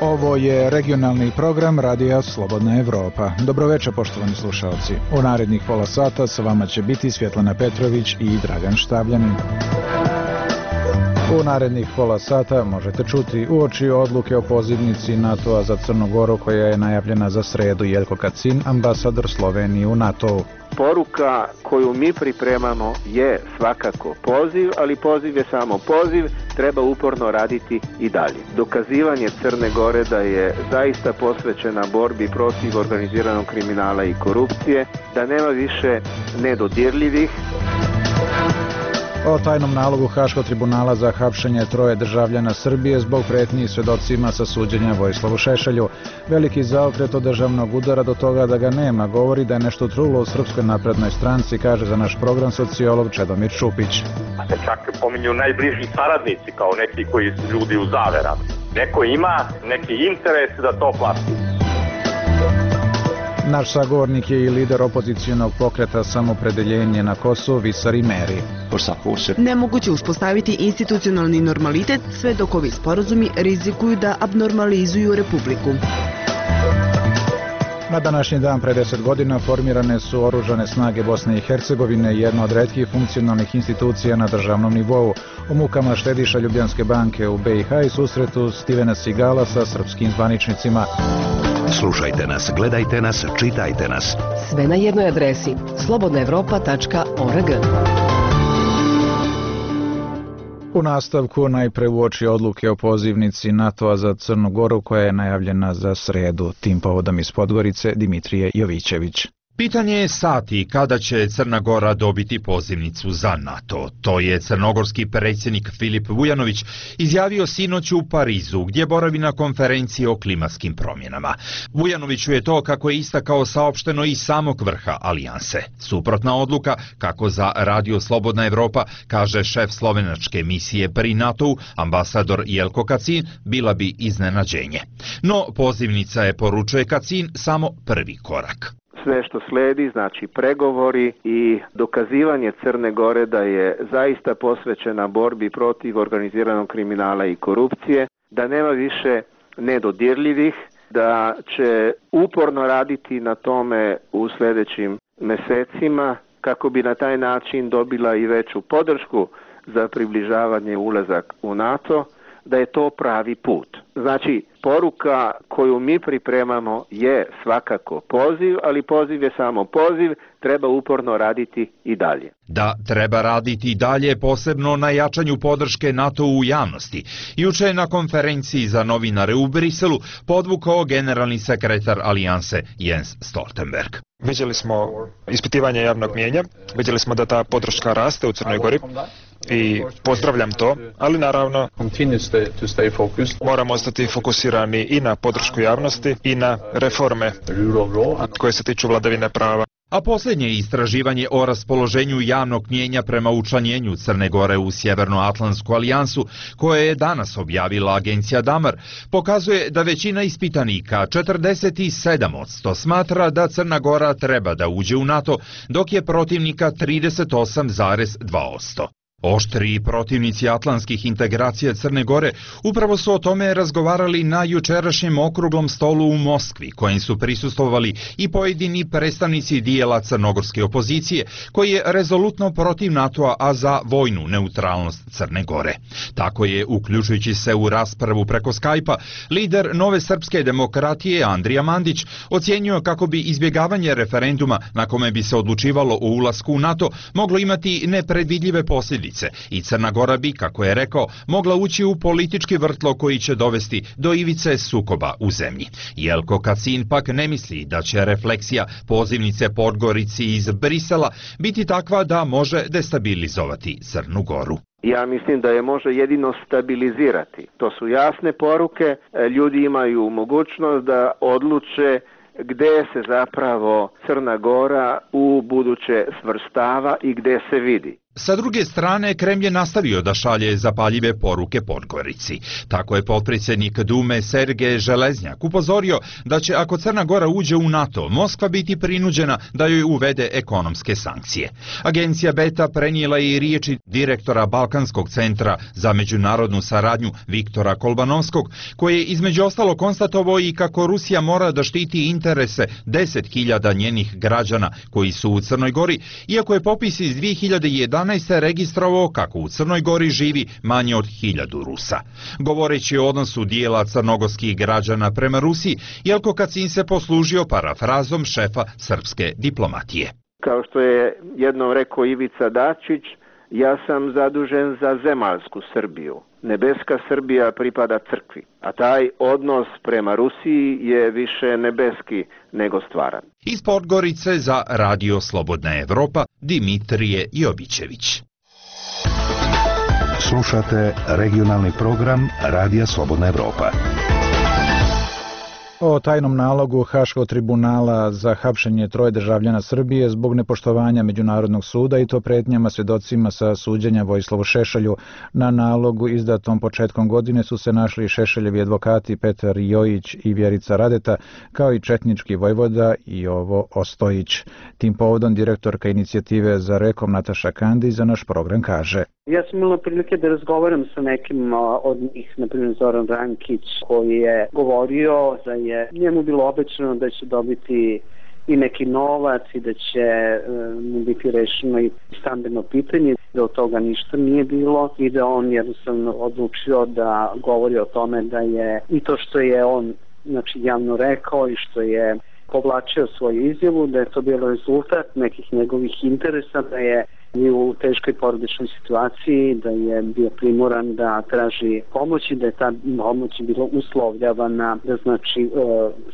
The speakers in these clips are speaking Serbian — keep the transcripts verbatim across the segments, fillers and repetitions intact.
Ovo je regionalni program Radija Slobodna Evropa. Dobroveče, poštovani slušalci. U narednih pola sata sa vama će biti Svjetlana Petrović i Dragan Štavljanin. U narednih pola sata možete čuti uoči odluke o pozivnici NATO-a za Crnu Goru koja je najavljena za sredu. Jelko Kacin, ambasador Slovenije u NATO-u. Poruka koju mi pripremamo je svakako poziv, ali poziv je samo poziv, treba uporno raditi i dalje. Dokazivanje Crne Gore da je zaista posvećena borbi protiv organiziranog kriminala i korupcije, da nema više nedodirljivih. O tajnom nalogu Haškog tribunala za hapšenje troje državljana Srbije zbog pretnji svedocima sa suđenja Vojislavu Šešelju. Veliki zaokret od državnog udara do toga da ga nema govori da je nešto trulo u Srpskoj naprednoj stranci, kaže za naš program sociolog Čedomir Šupić. Se čak pominju najbliži saradnici kao neki koji su ljudi u zaverama. Neko ima neki interes da to plati. Naš sagovornik je i lider opozicijonog pokreta Samopredeljenje na Kosovu, Visar Imeri. Nemoguće uspostaviti institucionalni normalitet sve dok ovi sporazumi rizikuju da abnormalizuju Republiku. Na današnji dan pre deset godina formirane su oružane snage Bosne i Hercegovine, jedna od retkih funkcionalnih institucija na državnom nivou. U mukama štediša Ljubljanske banke u B i H i susretu Stivena Sigala sa srpskim zvaničnicima. Slušajte nas, gledajte nas, čitajte nas. Sve na jednoj adresi slobodna evropa tačka org. U nastavku najpre uoči odluke o pozivnici NATO-a za Crnu Goru koja je najavljena za sredu. Tim povodom iz Podgorice Dimitrije Jovićević. Pitanje je sati kada će Crna Gora dobiti pozivnicu za NATO. To je crnogorski predsjednik Filip Vujanović izjavio sinoć u Parizu, gdje boravi na konferenciji o klimatskim promjenama. Vujanoviću je to, kako je istakao, saopšteno iz samog vrha alijanse. Suprotna odluka, kako za Radio Slobodna Evropa kaže šef slovenačke misije pri NATO-u, ambasador Jelko Kacin, bila bi iznenađenje. No, pozivnica je, poručuje Kacin, samo prvi korak. Sve što sledi, znači pregovori i dokazivanje Crne Gore da je zaista posvećena borbi protiv organiziranog kriminala i korupcije, da nema više nedodirljivih, da će uporno raditi na tome u sljedećim mesecima kako bi na taj način dobila i veću podršku za približavanje ulazak u NATO, da je to pravi put. Znači, poruka koju mi pripremamo je svakako poziv, ali poziv je samo poziv, treba uporno raditi i dalje. Da treba raditi i dalje, posebno na jačanju podrške NATO u javnosti. Juče je na konferenciji za novinare u Briselu podvukao generalni sekretar alijanse Jens Stoltenberg. Vidjeli smo ispitivanje javnog mijenja, vidjeli smo da ta podrška raste u Crnoj Gori i pozdravljam to, ali naravno moramo ostati fokusirani i na podršku javnosti i na reforme koje se tiču vladavine prava. A posljednje istraživanje o raspoloženju javnog mnijenja prema učlanjenju Crne Gore u Sjevernoatlantsku alijansu, koje je danas objavila agencija Damar, pokazuje da većina ispitanika, četrdeset sedam posto, smatra da Crna Gora treba da uđe u NATO, dok je protivnika trideset osam zarez dva posto. Oštri protivnici atlantskih integracija Crne Gore upravo su o tome razgovarali na jučerašnjem okruglom stolu u Moskvi, kojem su prisustvovali i pojedini predstavnici dijela crnogorske opozicije, koji je rezolutno protiv NATO-a, a za vojnu neutralnost Crne Gore. Tako je, uključujući se u raspravu preko Skype-a, lider Nove srpske demokratije Andrija Mandić ocijenio kako bi izbjegavanje referenduma na kome bi se odlučivalo o ulasku u NATO moglo imati nepredvidljive posljedice i Crna Gora bi, kako je rekao, mogla ući u politički vrtlo koji će dovesti do ivice sukoba u zemlji. Jelko Kacin pak ne misli da će refleksija pozivnice Podgorici iz Brisela biti takva da može destabilizovati Crnu Goru. Ja mislim da je može jedino stabilizirati. To su jasne poruke, ljudi imaju mogućnost da odluče gdje se zapravo Crna Gora u buduće svrstava i gdje se vidi. Sa druge strane, Kremlj je nastavio da šalje zapaljive poruke Podgorici. Tako je potpredsjednik Dume Sergej Železnjak upozorio da će, ako Crna Gora uđe u NATO, Moskva biti prinuđena da joj uvede ekonomske sankcije. Agencija Beta prenijela je i riječi direktora Balkanskog centra za međunarodnu saradnju Viktora Kolbanovskog, koji je između ostalo konstatovao i kako Rusija mora da štiti interese deset hiljada njenih građana koji su u Crnoj Gori, iako je popis iz dvije hiljade jedanaeste. registrovao kako u Crnoj Gori živi manje od hiljadu Rusa. Govoreći o odnosu dijela crnogorskih građana prema Rusiji, Jelko Kacin se poslužio parafrazom šefa srpske diplomatije. Kao što je jednom rekao Ivica Dačić, ja sam zadužen za zemaljsku Srbiju. Nebeska Srbija pripada crkvi, a taj odnos prema Rusiji je više nebeski nego stvaran. Iz Podgorice za Radio Slobodna Evropa, Dimitrije Jovićević. Slušate regionalni program Radija Slobodna Evropa. O tajnom nalogu Haškog tribunala za hapšenje troje državljana Srbije zbog nepoštovanja Međunarodnog suda i to pretnjama svjedocima sa suđenja Vojislavu Šešelju. Na nalogu izdatom početkom godine su se našli Šešeljevi advokati Petar Jojić i Vjerica Radeta, kao i četnički vojvoda Jovo Ostojić. Tim povodom direktorka inicijative za rekom Nataša Kandić za naš program kaže: Ja sam imala prilike da razgovaram sa nekim od njih, na primjer Zoran Rankić, koji je govorio da je njemu bilo obećano da će dobiti i neki novac i da će mu biti rešeno i stambeno pitanje, da od toga ništa nije bilo i da on jednostavno odlučio da govori o tome da je i to što je on znači, javno rekao i što je povlačio svoju izjavu, da je to bilo rezultat nekih njegovih interesa, da je bio u teškoj porodičnoj situaciji, da je bio primoran da traži pomoć i da je ta pomoć bila uslovljavana da znači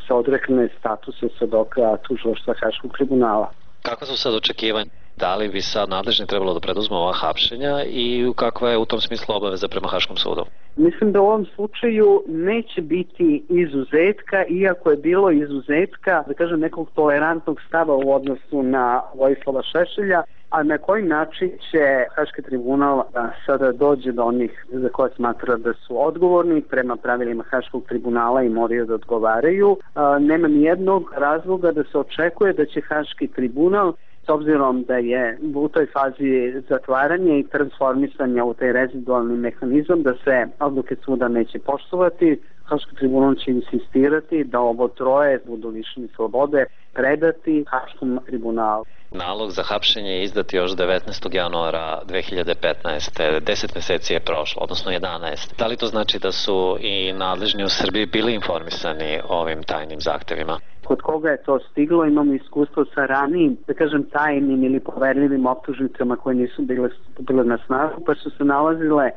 se odrekne statusa svedoka tužilaštva Haškog tribunala. Kako su sad očekivanja? Da li bi sad nadležni trebalo da preduzme ova hapšenja i kakva je u tom smislu obaveza prema Haškom sudu? Mislim da u ovom slučaju neće biti izuzetka, iako je bilo izuzetka, da kažem, nekog tolerantnog stava u odnosu na Vojislava Šešelja, a na koji način će Haški tribunal sada dođe do onih za koje smatra da su odgovorni prema pravilima Haškog tribunala i moraju da odgovaraju. Nema ni jednog razloga da se očekuje da će Haški tribunal, s obzirom da je u toj fazi zatvaranja i transformisanja u taj rezidualni mehanizam, da se odluke suda neće poštovati, Haški tribunal će insistirati da ovo troje budu lišeni slobode predati Haškom tribunalu. Nalog za hapšenje je izdat još devetnaestog januara dve hiljade petnaeste. deset mjeseci je prošlo, odnosno jedanaest. Da li to znači da su i nadležni u Srbiji bili informisani o ovim tajnim zahtevima? Kod koga je to stiglo, imamo iskustvo sa ranijim, da kažem, tajnim ili poverljivim optužnicama koje nisu bile, bile na snagu, pa su se nalazile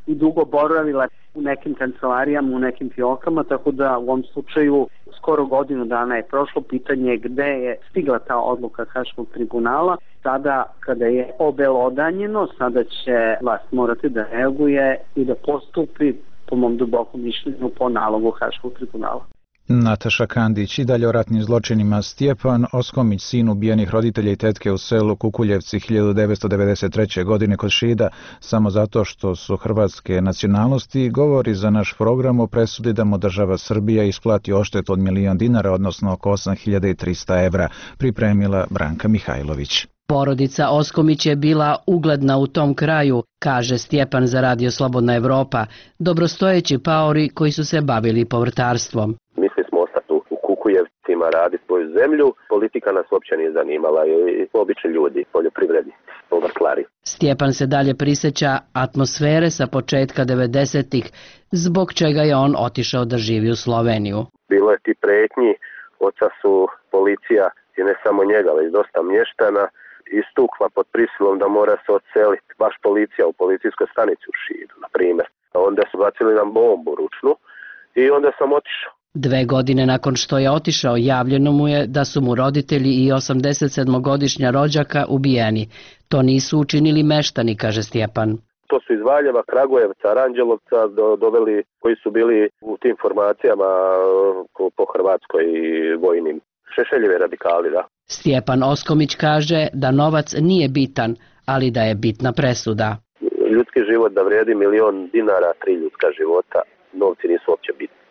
i dugo boravile u nekim kancelarijama, u nekim fiokama, tako da u ovom slučaju skoro godinu dana je prošlo. Pitanje gde je stigla ta odluka Haškog tribunala. Sada, kada je obelodanjeno, sada će vlast morati da reaguje i da postupi, po mom dubokom mišljenju, po nalogu Haškog tribunala. Nataša Kandić. I dalje o ratnim zločinima. Stjepan Oskomić, sin ubijenih roditelja i tetke u selu Kukuljevci hiljadu devetsto devedeset treće. godine kod Šida, samo zato što su hrvatske nacionalnosti, govori za naš program o presudi da mu država Srbija isplati odštetu od milion dinara, odnosno oko osam hiljada trista evra, pripremila Branka Mihajlović. Porodica Oskomić je bila ugledna u tom kraju, kaže Stjepan za Radio Slobodna Evropa, dobrostojeći paori koji su se bavili povrtarstvom. Mislili smo ostati u Kukujevcima, raditi svoju zemlju, politika nas uopće nije zanimala i obični ljudi, poljoprivrednici, povrtlari. Stjepan se dalje prisjeća atmosfere sa početka devedesetih, zbog čega je on otišao da živi u Sloveniju. Bilo je ti pretnji, oca su policija i ne samo njega, već dosta mještana, istukla pod prisilom da mora se odseliti, baš policija u policijskoj stanici u Šidu, na primjer. Onda su bacili nam bombu ručnu i onda sam otišao. Dve godine nakon što je otišao, javljeno mu je da su mu roditelji i osamdesetsedmogodišnja rođaka ubijeni. To nisu učinili meštani, kaže Stjepan. To su iz Valjeva, Kragujevca, Aranđelovca do, doveli koji su bili u tim formacijama po Hrvatskoj i vojnim. Šešeljevi radikali, da. Stjepan Oskomić kaže da novac nije bitan, ali da je bitna presuda. Ljudski život da vredi milion dinara, tri ljudska života, novci nisu uopće bitni.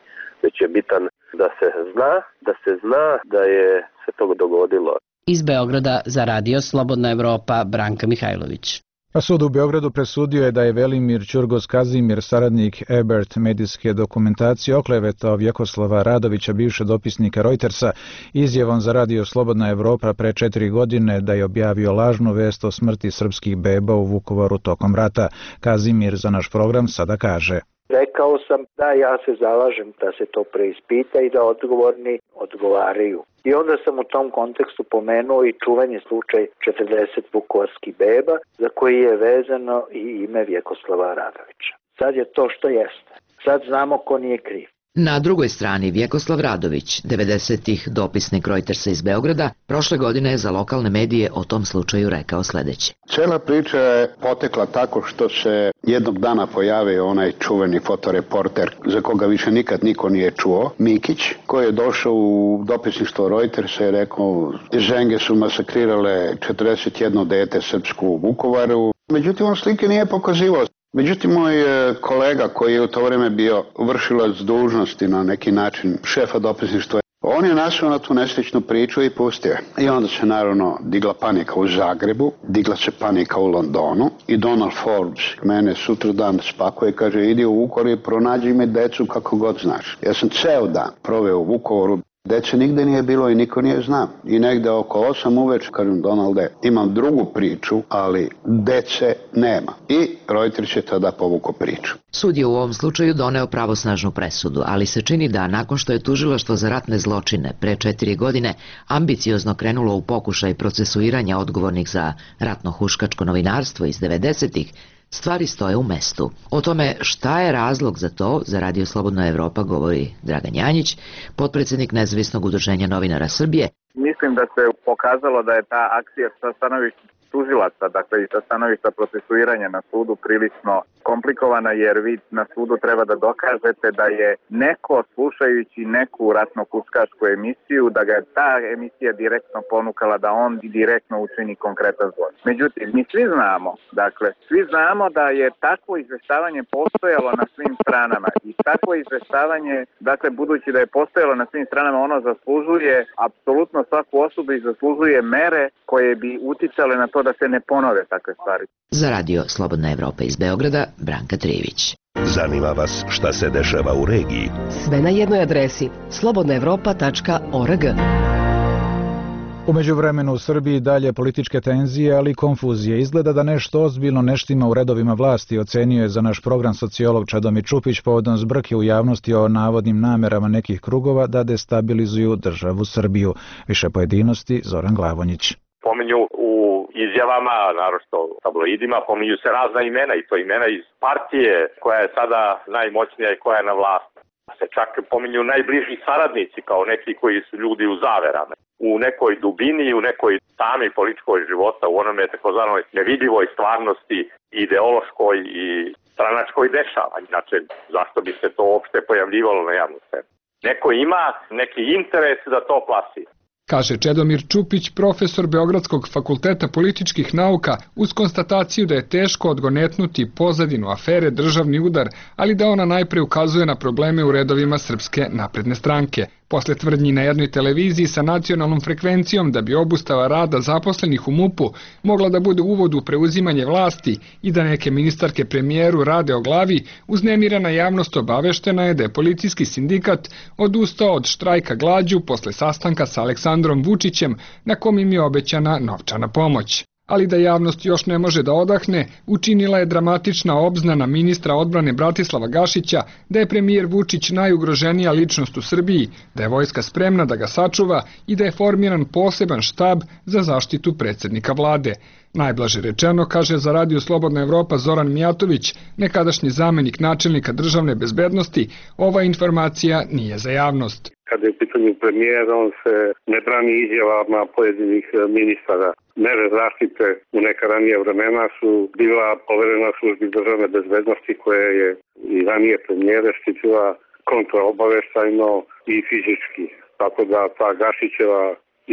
Već je bitan da se zna, da se zna da je se to dogodilo. Iz Beograda za Radio Slobodna Evropa, Branka Mihajlović. A sud u Beogradu presudio je da je Velimir Ćurgos Kazimir, saradnik Ebert medijske dokumentacije, oklevetao Vjekoslava Radovića, bivšeg dopisnika Reutersa, izjavom za Radio Slobodna Evropa pre četiri godine da je objavio lažnu vest o smrti srpskih beba u Vukovaru tokom rata. Kazimir za naš program sada kaže: Rekao sam da ja se zalažem da se to preispita i da odgovorni odgovaraju. I onda sam u tom kontekstu pomenuo i čuveni slučaj četrdeset vukovarskih beba za koji je vezano i ime Vjekoslava Radovića. Sad je to što jeste. Sad znamo ko nije kriv. Na drugoj strani Vjekoslav Radović, devedesetih dopisnik Reutersa iz Beograda, prošle godine je za lokalne medije o tom slučaju rekao sledeće. Cela priča je potekla tako što se jednog dana pojavio onaj čuveni fotoreporter za koga više nikad niko nije čuo, Mikić, koji je došao u dopisništvo Reutersa i rekao: ženge su masakrirale četrdeset jedno dete srpsko u Vukovaru. Međutim, on slike nije pokazivao. Međutim, moj kolega koji je u to vreme bio vršilac dužnosti na neki način šefa dopisništva, on je našao na tu nesličnu priču i pustio. I onda se naravno digla panika u Zagrebu, digla se panika u Londonu i Donald Forbes mene sutra dan spakuje i kaže: idi u Vukovar i pronađi mi decu kako god znaš. Ja sam ceo dan proveo u Vukovaru. Dece nigde nije bilo i niko nije znao. I negde oko osam uveče kažem: Donalde, imam drugu priču, ali dece nema. I Reuters je tada povukao priču. Sud je u ovom slučaju doneo pravosnažnu presudu, ali se čini da nakon što je tužilaštvo za ratne zločine pre četiri godine ambiciozno krenulo u pokušaj procesuiranja odgovornih za ratno-huškačko novinarstvo iz devedesetih, stvari stoje u mestu. O tome šta je razlog za to, za Radio Slobodna Evropa govori Dragan Janjić, potpredsjednik Nezavisnog udruženja novinara Srbije. Mislim da se pokazalo da je ta akcija sa stanovišta tužilaca, dakle i sa stanovišta procesuiranja na sudu prilično komplikovana, jer vi na sudu treba da dokažete da je neko, slušajući neku ratno-huškačku emisiju, da ga je ta emisija direktno ponukala da on direktno učini konkretan zločin. Međutim, mi svi znamo, dakle, svi znamo da je takvo izveštavanje postojalo na svim stranama i takvo izveštavanje, dakle, budući da je postojalo na svim stranama, ono zaslužuje apsolutno svaku osobu i zaslužuje mere koje bi uticale na to da se ne ponove takve stvari. Za Radio Slobodna Evropa iz Beograda, Branka Trijević. Zanima vas šta se dešava u regiji? Sve na jednoj adresi slobodna evropa tačka org. U međuvremenu u Srbiji dalje političke tenzije, ali i konfuzije. Izgleda da nešto ozbiljno ne štima u redovima vlasti, ocenio je za naš program sociolog Čedomir Čupić povodom zbrke u javnosti o navodnim namerama nekih krugova da destabilizuju državu Srbiju. Više pojedinosti, Zoran Glavonjić. Pominju u izjavama, naročito u tabloidima, pominju se razna imena i to imena iz partije koja je sada najmoćnija i koja je na vlasti. Se čak pominju najbliži saradnici kao neki koji su ljudi u zaverama. U nekoj dubini, u nekoj tami političkoj života, u onome takozvanoj nevidljivoj stvarnosti, ideološkoj i stranačkoj dešava. Znači, zašto bi se to uopšte pojavljivalo na javnu scenu? Neko ima neki interes da to plasi. Kaže Čedomir Čupić, profesor Beogradskog fakulteta političkih nauka, uz konstataciju da je teško odgonetnuti pozadinu afere Državni udar, ali da ona najpre ukazuje na probleme u redovima Srpske napredne stranke. Posle tvrdnji na jednoj televiziji sa nacionalnom frekvencijom da bi obustava rada zaposlenih u MUP-u mogla da bude uvod u preuzimanje vlasti i da neke ministarke premijeru rade o glavi, uznemirena javnost obaveštena je da je policijski sindikat odustao od štrajka glađu posle sastanka sa Aleksandrom Vučićem na kom im je obećana novčana pomoć. Ali da javnost još ne može da odahne, učinila je dramatična obznana ministra odbrane Bratislava Gašića da je premijer Vučić najugroženija ličnost u Srbiji, da je vojska spremna da ga sačuva i da je formiran poseban štab za zaštitu predsjednika vlade. Najblaže rečeno, kaže za Radio Slobodna Evropa Zoran Mijatović, nekadašnji zamenik načelnika državne bezbednosti, ova informacija nije za javnost. Kada je u pitanju premijer, on se ne brani izjavama pojedinih ministara. Mere zaštite u neka ranije vremena su bila poverena službi državne bezbednosti koja je i ranije premijere štitila kontraobaveštajno i fizički. Tako da ta Gašićeva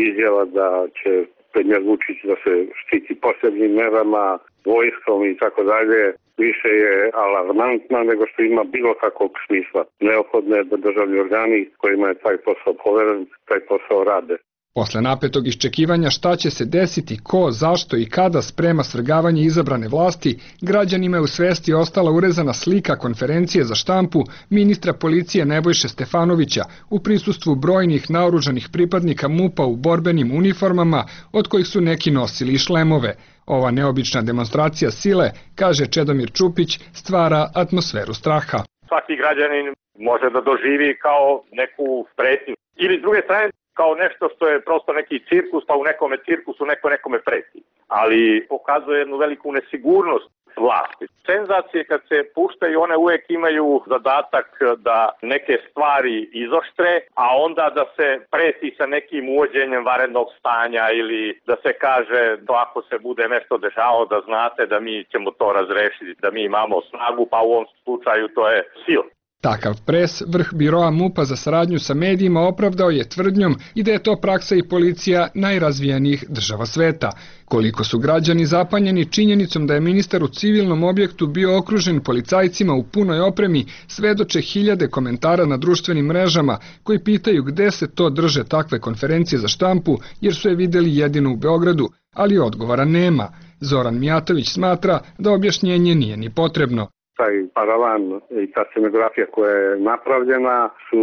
izjava da će premijer Vučić da se štiti posebnim merama, vojskom i tako dalje, više je alarmantna nego što ima bilo kakvog smisla. Neophodno je da državni organi kojima je taj posao poveren, taj posao rade. Posle napetog iščekivanja šta će se desiti, ko, zašto i kada sprema svrgavanje izabrane vlasti, građanima je u svesti ostala urezana slika konferencije za štampu ministra policije Nebojše Stefanovića u prisustvu brojnih naoružanih pripadnika MUP-a u borbenim uniformama, od kojih su neki nosili i šlemove. Ova neobična demonstracija sile, kaže Čedomir Čupić, stvara atmosferu straha. Svaki građanin može da doživi kao neku pretnju. Ili s druge strane, kao nešto što je prosto neki cirkus, pa u nekome cirkusu neko nekome preti. Ali pokazuje jednu veliku nesigurnost vlasti. Senzacije kad se puštaju, one uvek imaju zadatak da neke stvari izoštre, a onda da se preti sa nekim uvođenjem vanrednog stanja ili da se kaže da ako se bude nešto dešavalo da znate da mi ćemo to razrešiti, da mi imamo snagu, pa u ovom slučaju to je sila. Takav pres vrh biroa MUP-a za saradnju sa medijima opravdao je tvrdnjom i da je to praksa i policija najrazvijenijih država sveta. Koliko su građani zapanjeni činjenicom da je ministar u civilnom objektu bio okružen policajcima u punoj opremi, svedoče hiljade komentara na društvenim mrežama koji pitaju gde se to drže takve konferencije za štampu jer su je videli jedino u Beogradu, ali odgovora nema. Zoran Mijatović smatra da objašnjenje nije ni potrebno. Taj paravan i ta scenografija koja je napravljena su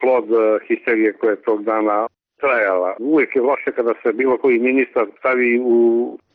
plod histerije koja je tog dana trajala. Uvijek je loše kada se bilo koji ministar stavi u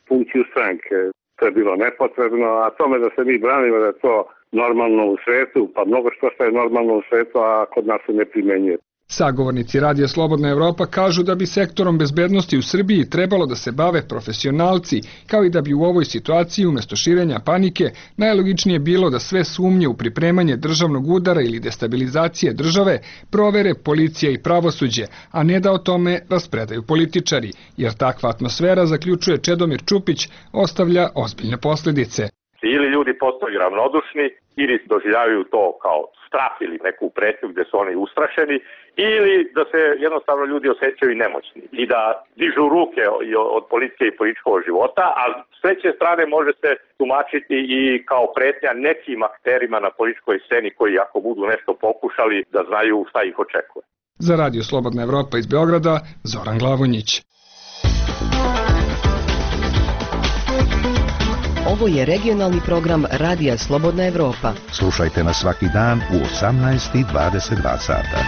funkciju stranke. To je bilo nepotrebno, a tome da se mi branimo da je to normalno u svetu, pa mnogo što što je normalno u svetu, a kod nas se ne primenjuje. Sagovornici Radija Slobodna Evropa kažu da bi sektorom bezbednosti u Srbiji trebalo da se bave profesionalci, kao i da bi u ovoj situaciji umjesto širenja panike najlogičnije bilo da sve sumnje u pripremanje državnog udara ili destabilizacije države provere policija i pravosuđe, a ne da o tome raspredaju političari, jer takva atmosfera, zaključuje Čedomir Čupić, ostavlja ozbiljne posljedice. Ili ljudi postaju ravnodušni, ili doživljavaju to kao strah ili neku pretnju gde su oni ustrašeni, ili da se jednostavno ljudi osjećaju nemoćni i da dižu ruke od politike i političkog života, a s treće strane može se tumačiti i kao pretnja nekim akterima na političkoj sceni koji ako budu nešto pokušali da znaju šta ih očekuje. Za Radio Slobodna Evropa iz Beograda, Zoran Glavonjić. Ovo je regionalni program Radija Slobodna Evropa. Slušajte nas svaki dan u osamnaest i dvadeset dva sata.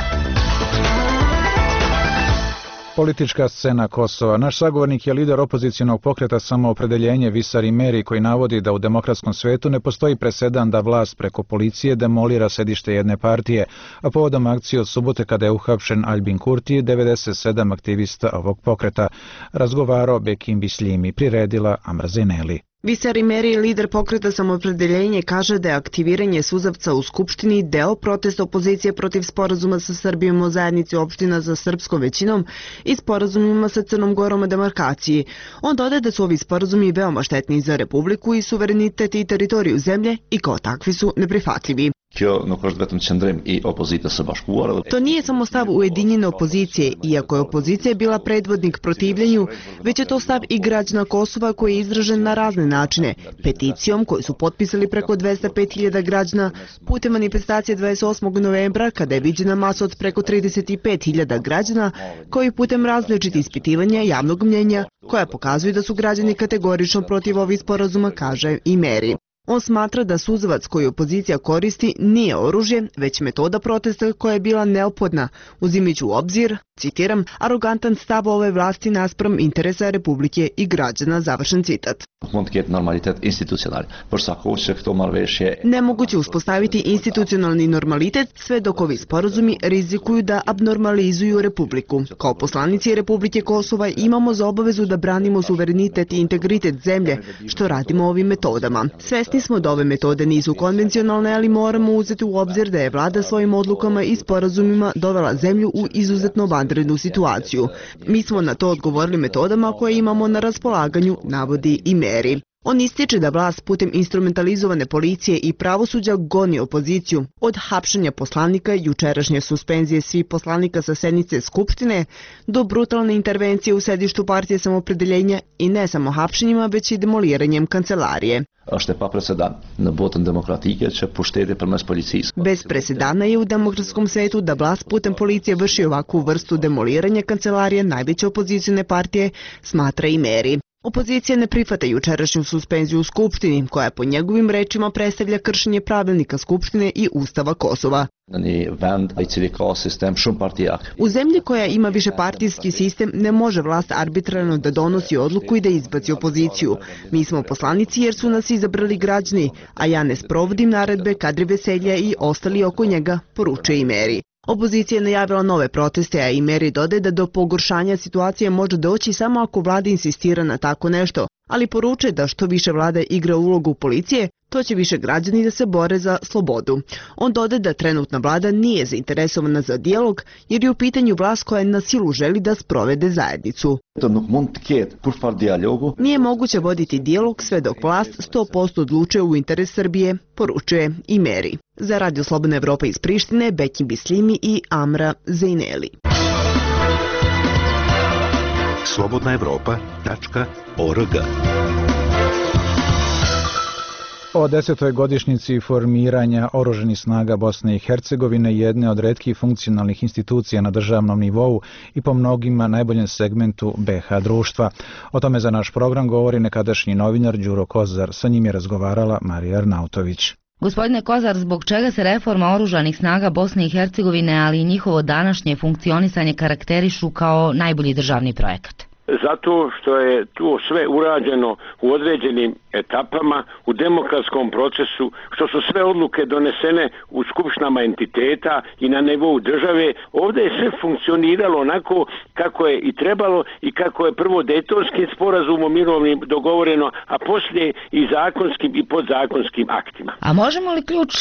Politička scena Kosova. Naš sagovornik je lider opozicionog pokreta Samoopredeljenje Visar Imeri, koji navodi da u demokratskom svetu ne postoji presedan da vlast preko policije demolira sedište jedne partije, a povodom akcije od subote kada je uhapšen Albin Kurti, devedeset sedam aktivista ovog pokreta. Razgovarao Bekim Bisljimi, priredila Amra Zeneli. Visar Imeri, lider pokreta Samoopredeljenje, kaže da je aktiviranje suzavca u Skupštini deo protesta opozicije protiv sporazuma sa Srbijom o zajednici opština za srpskom većinom i sporazumima sa Crnom Gorom o demarkaciji. On dodaje da su ovi sporazumi veoma štetni za Republiku i suverenitet i teritoriju zemlje i kao takvi su neprihvatljivi. To nije samo stav ujedinjene opozicije, iako je opozicija bila predvodnik protivljenju, već je to stav i građana Kosova koji je izražen na razne načine, peticijom koju su potpisali preko dvesta pet hiljada građana, putem manifestacije dvadeset osmog novembra kada je viđena masa od preko trideset pet hiljada građana, koji putem različitih ispitivanja javnog mnjenja, koja pokazuju da su građani kategorično protiv ovih sporazuma, kaže Imeri. On smatra da suzavac koji opozicija koristi nije oružje, već metoda protesta koja je bila neophodna, uzimajući u obzir, citiram, arogantan stav ove vlasti naspram interesa Republike i građana, završen citat. Nemoguće uspostaviti institucionalni normalitet sve dok ovi sporazumi rizikuju da abnormalizuju Republiku. Kao poslanici Republike Kosova imamo za obavezu da branimo suverenitet i integritet zemlje, što radimo ovim metodama. Svesni smo da ove metode nisu konvencionalne, ali moramo uzeti u obzir da je vlada svojim odlukama i sporazumima dovela zemlju u izuzetno vanrednu situaciju. Mi smo na to odgovorili metodama koje imamo na raspolaganju, navodi Imeri. On ističe da vlast putem instrumentalizovane policije i pravosuđa goni opoziciju, od hapšenja poslanika, jučerašnje suspenzije svih poslanika sa sednice Skupštine, do brutalne intervencije u sedištu partije Samopredeljenja i ne samo hapšenjima, već i demoliranjem kancelarije. Bez presedana je u demokratskom svetu da vlast putem policije vrši ovakvu vrstu demoliranja kancelarije najveće opozicione partije, smatra i Meri. Opozicija ne prihvata jučerašnju suspenziju u Skupštini, koja po njegovim rečima predstavlja kršenje pravilnika Skupštine i Ustava Kosova. U zemlji koja ima višepartijski sistem ne može vlast arbitrarno da donosi odluku i da izbaci opoziciju. Mi smo poslanici jer su nas izabrali građani, a ja ne sprovodim naredbe Kadri Veselja i ostali oko njega, poručuje i Meri. Opozicija je najavila nove proteste, a i Meri dodaje da do pogoršanja situacije može doći samo ako vlada insistira na tako nešto, ali poručuje da što više vlada igra ulogu policije, to će više građani da se bore za slobodu. On dodaje da trenutna vlada nije zainteresovana za dijalog jer je u pitanju vlast koja na silu želi da sprovede zajednicu. Nije moguće voditi dijalog sve dok vlast sto posto odlučuje u interes Srbije, poručuje i Meri. Za Radio Slobodna Evropa iz Prištine, Bekim Bislimi i Amra Zejneli. slobodna evropa tačka org. O desetoj godišnjici formiranja oružanih snaga Bosne i Hercegovine, jedne od retkih funkcionalnih institucija na državnom nivou i po mnogima najboljem segmentu be ha društva. O tome za naš program govori nekadašnji novinar Đuro Kozar. Sa njim je razgovarala Marija Arnautović. Gospodine Kozar, zbog čega se reforma oružanih snaga Bosne i Hercegovine, ali i njihovo današnje funkcionisanje karakterišu kao najbolji državni projekat? Zato što je to sve urađeno u određenim etapama, u demokratskom procesu, što su sve odluke donesene u skupštinama entiteta i na nivou države. Ovdje je sve funkcioniralo onako kako je i trebalo i kako je prvo Dejtonskim sporazumom mirovnim dogovoreno, a poslije i zakonskim i podzakonskim aktima. A možemo li ključ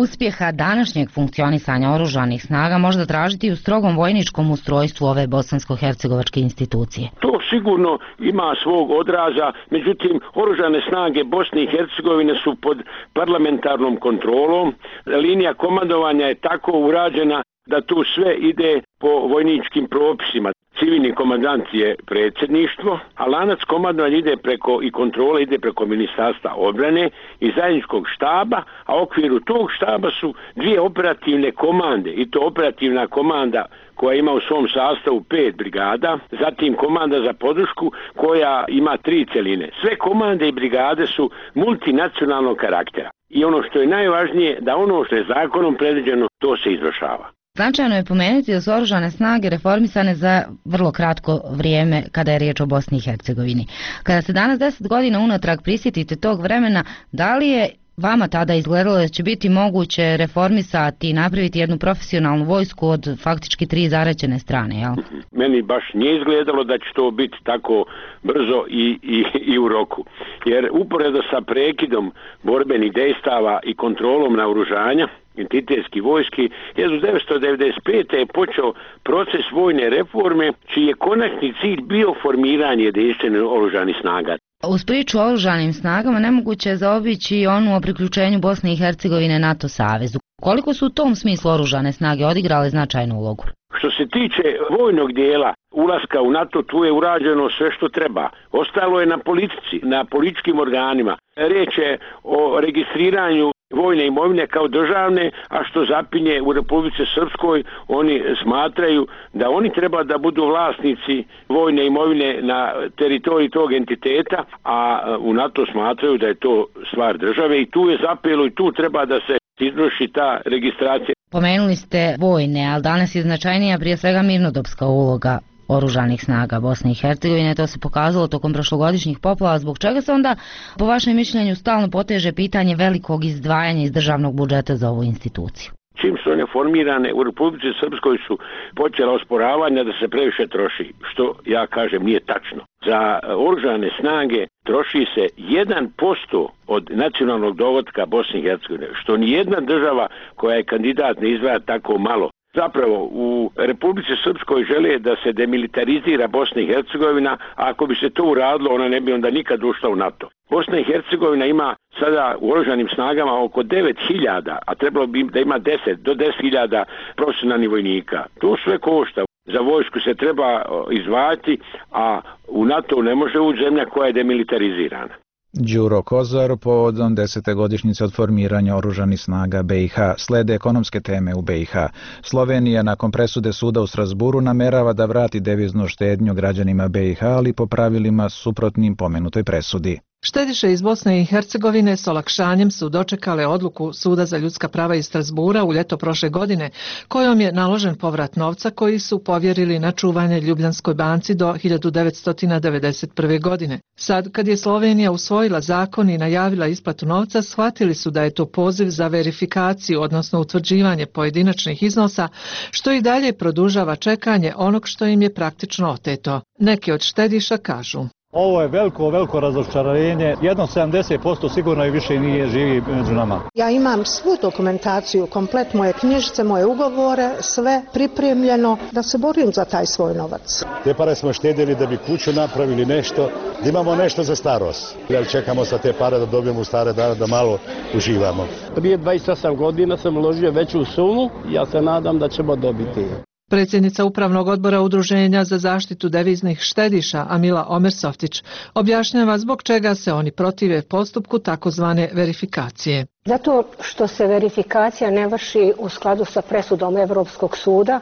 uspjeha današnjeg funkcionisanja oružanih snaga možda tražiti u strogom vojničkom ustrojstvu ove bosansko-hercegovačke institucije? To sigurno ima svog odraza, međutim oružane snage Bosne i Hercegovine su pod parlamentarnom kontrolom. Linija komandovanja je tako urađena da tu sve ide po vojničkim propisima. Civilni komandant je predsjedništvo, a lanac komandovanja ide preko i kontrole ide preko Ministarstva obrane i zajedničkog štaba, a u okviru tog štaba su dvije operativne komande, i to operativna komanda koja ima u svom sastavu pet brigada, zatim komanda za podršku koja ima tri celine. Sve komande i brigade su multinacionalnog karaktera. I ono što je najvažnije, da ono što je zakonom predviđeno, to se izvršava. Značajno je pomenuti da su oružane snage reformisane za vrlo kratko vrijeme kada je riječ o Bosni i Hercegovini. Kada se danas deset godina unatrag prisjetite tog vremena, da li je vama tada izgledalo da će biti moguće reformisati i napraviti jednu profesionalnu vojsku od faktički tri zaraćene strane, jel? Meni baš nije izgledalo da će to biti tako brzo i, i, i u roku. Jer uporedo sa prekidom borbenih dejstava i kontrolom naoružanja entitetski vojski, hiljadu devetsto devedeset pete. je počeo proces vojne reforme, čiji je konačni cilj bio formiranje jedinstvenih oružanih snaga. Uz priču o oružanim snagama nemoguće je zaobići onu o priključenju Bosne i Hercegovine NATO savezu. Koliko su u tom smislu oružane snage odigrale značajnu ulogu? Što se tiče vojnog dijela ulaska u NATO, tu je urađeno sve što treba. Ostalo je na politici, na političkim organima. Riječ je o registriranju vojne imovine kao državne, a što zapinje u Republici Srpskoj, oni smatraju da oni treba da budu vlasnici vojne imovine na teritoriji tog entiteta, a u NATO smatraju da je to stvar države i tu je zapelo i tu treba da se izvrši ta registracija. Pomenuli ste vojne, ali danas je značajnija prije svega mirnodopska uloga oružanih snaga Bosne i Hercegovine. To se pokazalo tokom prošlogodišnjih poplava, zbog čega se onda, po vašem mišljenju, stalno poteže pitanje velikog izdvajanja iz državnog budžeta za ovu instituciju? Čim su one formirane u Republici Srpskoj su počela osporavanja da se previše troši, što ja kažem nije tačno. Za oružane snage troši se jedan posto od nacionalnog dohotka Bosne i Hercegovine, što nijedna država koja je kandidat ne izdvaja tako malo Zapravo, u Republici Srpskoj žele da se demilitarizira Bosna i Hercegovina, a ako bi se to uradilo, ona ne bi onda nikad ušla u NATO. Bosna i Hercegovina ima sada u oružanim snagama oko devet hiljada, a trebalo bi da ima deset do deset hiljada profesionalnih vojnika. To sve košta. Za vojsku se treba izdvajati, a u NATO ne može ući zemlja koja je demilitarizirana. Đuro Kozar povodom desete godišnjice od formiranja oružanih snaga B i H. Slede ekonomske teme u B i H. Slovenija nakon presude suda u Strasburu namerava da vrati deviznu štednju građanima B i H, ali po pravilima suprotnim pomenutoj presudi. Štediše iz Bosne i Hercegovine s olakšanjem su dočekale odluku Suda za ljudska prava iz Strasbura u ljeto prošle godine, kojom je naložen povrat novca koji su povjerili na čuvanje Ljubljanskoj banci do hiljadu devetsto devedeset prve. godine. Sad, kad je Slovenija usvojila zakon i najavila isplatu novca, shvatili su da je to poziv za verifikaciju, odnosno utvrđivanje pojedinačnih iznosa, što i dalje produžava čekanje onog što im je praktično oteto. Neki od štediša kažu: Ovo je veliko, veliko razočarenje. Jedno sedamdeset posto sigurno i više nije živi među nama. Ja imam svu dokumentaciju, komplet moje knjižice, moje ugovore, sve pripremljeno da se borim za taj svoj novac. Te pare smo štedili da bi kuću napravili nešto, da imamo nešto za starost. Jer čekamo sa te pare da dobijemo u stare dane da malo uživamo. Prije dvadeset osam godina sam uložio veću sumu i ja se nadam da ćemo dobiti. Predsjednica Upravnog odbora Udruženja za zaštitu deviznih štediša Amila Omersoftić objašnjava zbog čega se oni protive postupku takozvane verifikacije. Zato što se verifikacija ne vrši u skladu sa presudom Evropskog suda,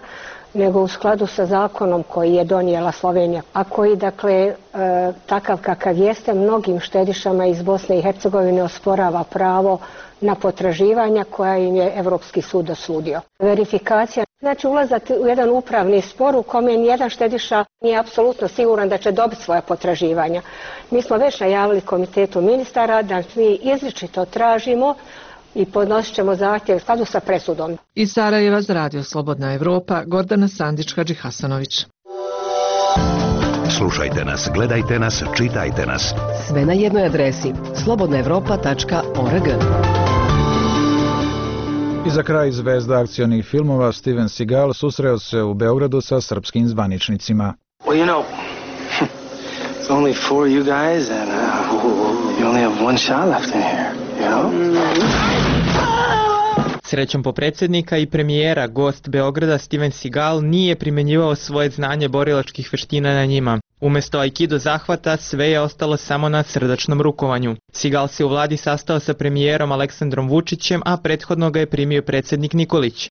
nego u skladu sa zakonom koji je donijela Slovenija, a koji, dakle, e, takav kakav jeste, mnogim štedišama iz Bosne i Hercegovine osporava pravo na potraživanja koja im je Evropski sud dosudio. Verifikacija znači ulazati u jedan upravni spor u kome nijedan štediša nije apsolutno siguran da će dobiti svoja potraživanja. Mi smo već najavili komitetu ministara da mi izričito tražimo i podnosit ćemo zahtjev u skladu sa presudom. Iz Sarajeva za Radio Slobodna Evropa, Gordana Sandić-Hadžihasanović. Slušajte nas, gledajte nas, čitajte nas. Sve na jednoj adresi slobodna evropa tačka org. I za kraj zvezda akcionih filmova Steven Seagal susreo se u Beogradu sa srpskim zvaničnicima. Well, you know, it's only four of you guys and uh, you only have one shot left in here, you know? Srećom po predsjednika i premijera, gost Beograda Steven Seagal nije primjenjivao svoje znanje borilačkih veština na njima. Umjesto aikido zahvata, sve je ostalo samo na srdačnom rukovanju. Seagal se u vladi sastao sa premijerom Aleksandrom Vučićem, a prethodno ga je primio predsjednik Nikolić.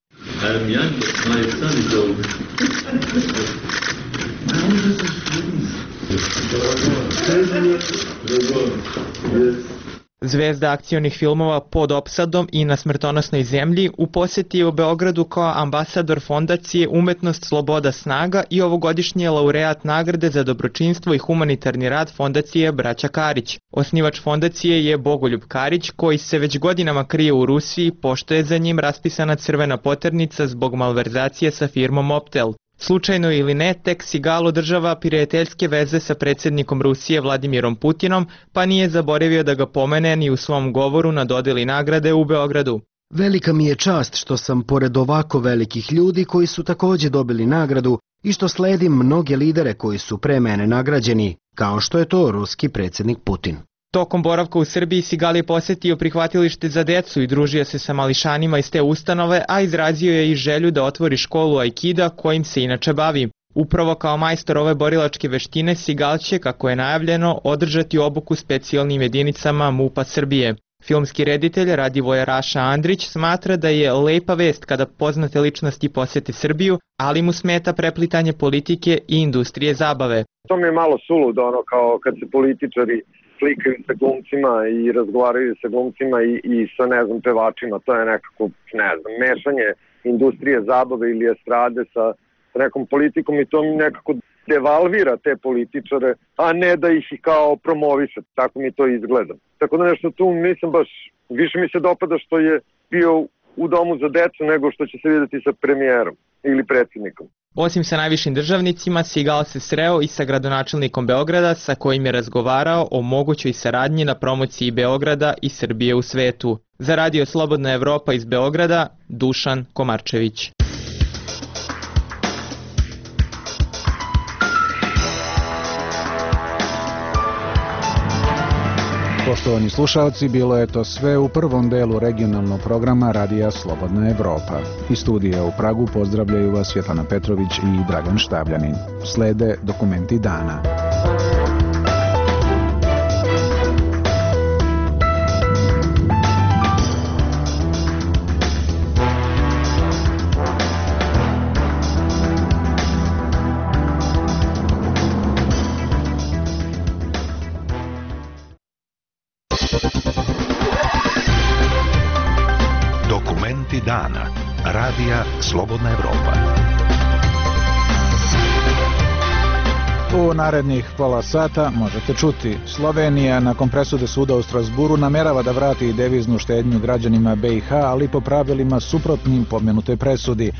Zvezda akcionih filmova Pod opsadom i Na smrtonosnoj zemlji u posjeti je u Beogradu kao ambasador fondacije Umetnost, sloboda, snaga i ovogodišnji laureat nagrade za dobročinstvo i humanitarni rad fondacije Braća Karić. Osnivač fondacije je Bogoljub Karić, koji se već godinama krije u Rusiji, pošto je za njim raspisana crvena poternica zbog malverzacije sa firmom Optel. Slučajno ili ne, tek Seagal održava prijateljske veze sa predsjednikom Rusije Vladimirom Putinom, pa nije zaboravio da ga pomene ni u svom govoru na dodjeli nagrade u Beogradu. Velika mi je čast što sam pored ovako velikih ljudi koji su također dobili nagradu i što sledim mnoge lidere koji su pre mene nagrađeni, kao što je to ruski predsjednik Putin. Tokom boravka u Srbiji Seagal je posjetio prihvatilište za decu i družio se sa mališanima iz te ustanove, a izrazio je i želju da otvori školu aikida kojim se inače bavi. Upravo kao majstor ove borilačke veštine Seagal će, kako je najavljeno, održati obuku specijalnim jedinicama MUP-a Srbije. Filmski reditelj Radivoje Raša Andrić smatra da je lepa vest kada poznate ličnosti posjete Srbiju, ali mu smeta preplitanje politike i industrije zabave. To mi je malo suludo, ono kao kad se političari slikaju sa glumcima i razgovaraju sa glumcima i, i sa, ne znam, pevačima. To je nekako, ne znam, mešanje industrije zabave ili estrade sa, sa nekom politikom i to mi nekako devalvira te političare, a ne da ih i kao promoviše. Tako mi to izgleda. Tako da nešto tu nisam baš, više mi se dopada što je bio u domu za decu nego što će se vidjeti sa premijerom ili predsjednikom. Osim sa najvišim državnicima, Seagal se sreo i sa gradonačelnikom Beograda, sa kojim je razgovarao o mogućoj saradnji na promociji Beograda i Srbije u svetu. Za Radio Slobodna Evropa iz Beograda, Dušan Komarčević. Poštovani slušalci, bilo je to sve u prvom delu regionalnog programa Radija Slobodna Evropa. Iz studija u Pragu pozdravljaju vas Svjetlana Petrović i Dragan Štavljanin. Slede dokumenti dana. Dokumenti dana. Radija Slobodna Evropa. U narednih pola sata možete čuti: Slovenija nakon presude suda u Strasburu namerava da vrati deviznu štednju građanima B i H, ali po pravilima suprotnim pomenutoj presudi.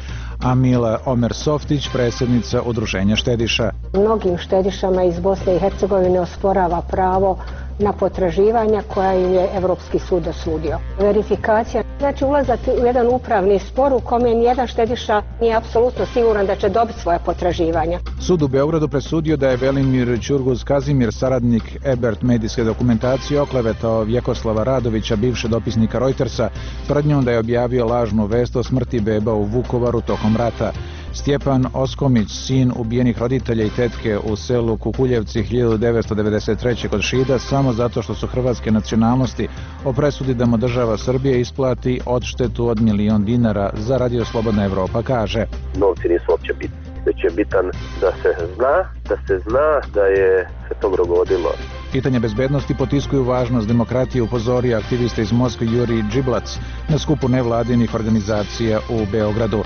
Amila Omer Softić, predsjednica Udruženja štediša. Mnogim štedišama iz Bosne i Hercegovine osporava pravo na potraživanja koja im je Evropski sud dosudio. Verifikacija znači ulazak u jedan upravni spor u kome nijedan štediša nije apsolutno siguran da će dobiti svoje potraživanja. Sud u Beogradu presudio da je Velimir Ćurguz Kazimir, saradnik Ebert medijske dokumentacije, oklevetao Vjekoslava Radovića, bivšeg dopisnika Reutersa, tvrdnjom da je objavio lažnu vest o smrti beba u Vukovaru tokom rata. Stjepan Oskomić, sin ubijenih roditelja i tetke u selu Kukuljevci hiljadu devetsto devedeset treće kod Šida, samo zato što su hrvatske nacionalnosti, o presudi da mu država Srbije isplati odštetu od milion dinara, za Radio Slobodna Evropa kaže: Novci nisu uopće bitni, već je bitan da se zna, da se zna da je se to dogodilo. Pitanje bezbednosti potiskuju važnost demokratije, upozorio aktivista iz Moskve Juri Džiblac na skupu nevladinih organizacija u Beogradu.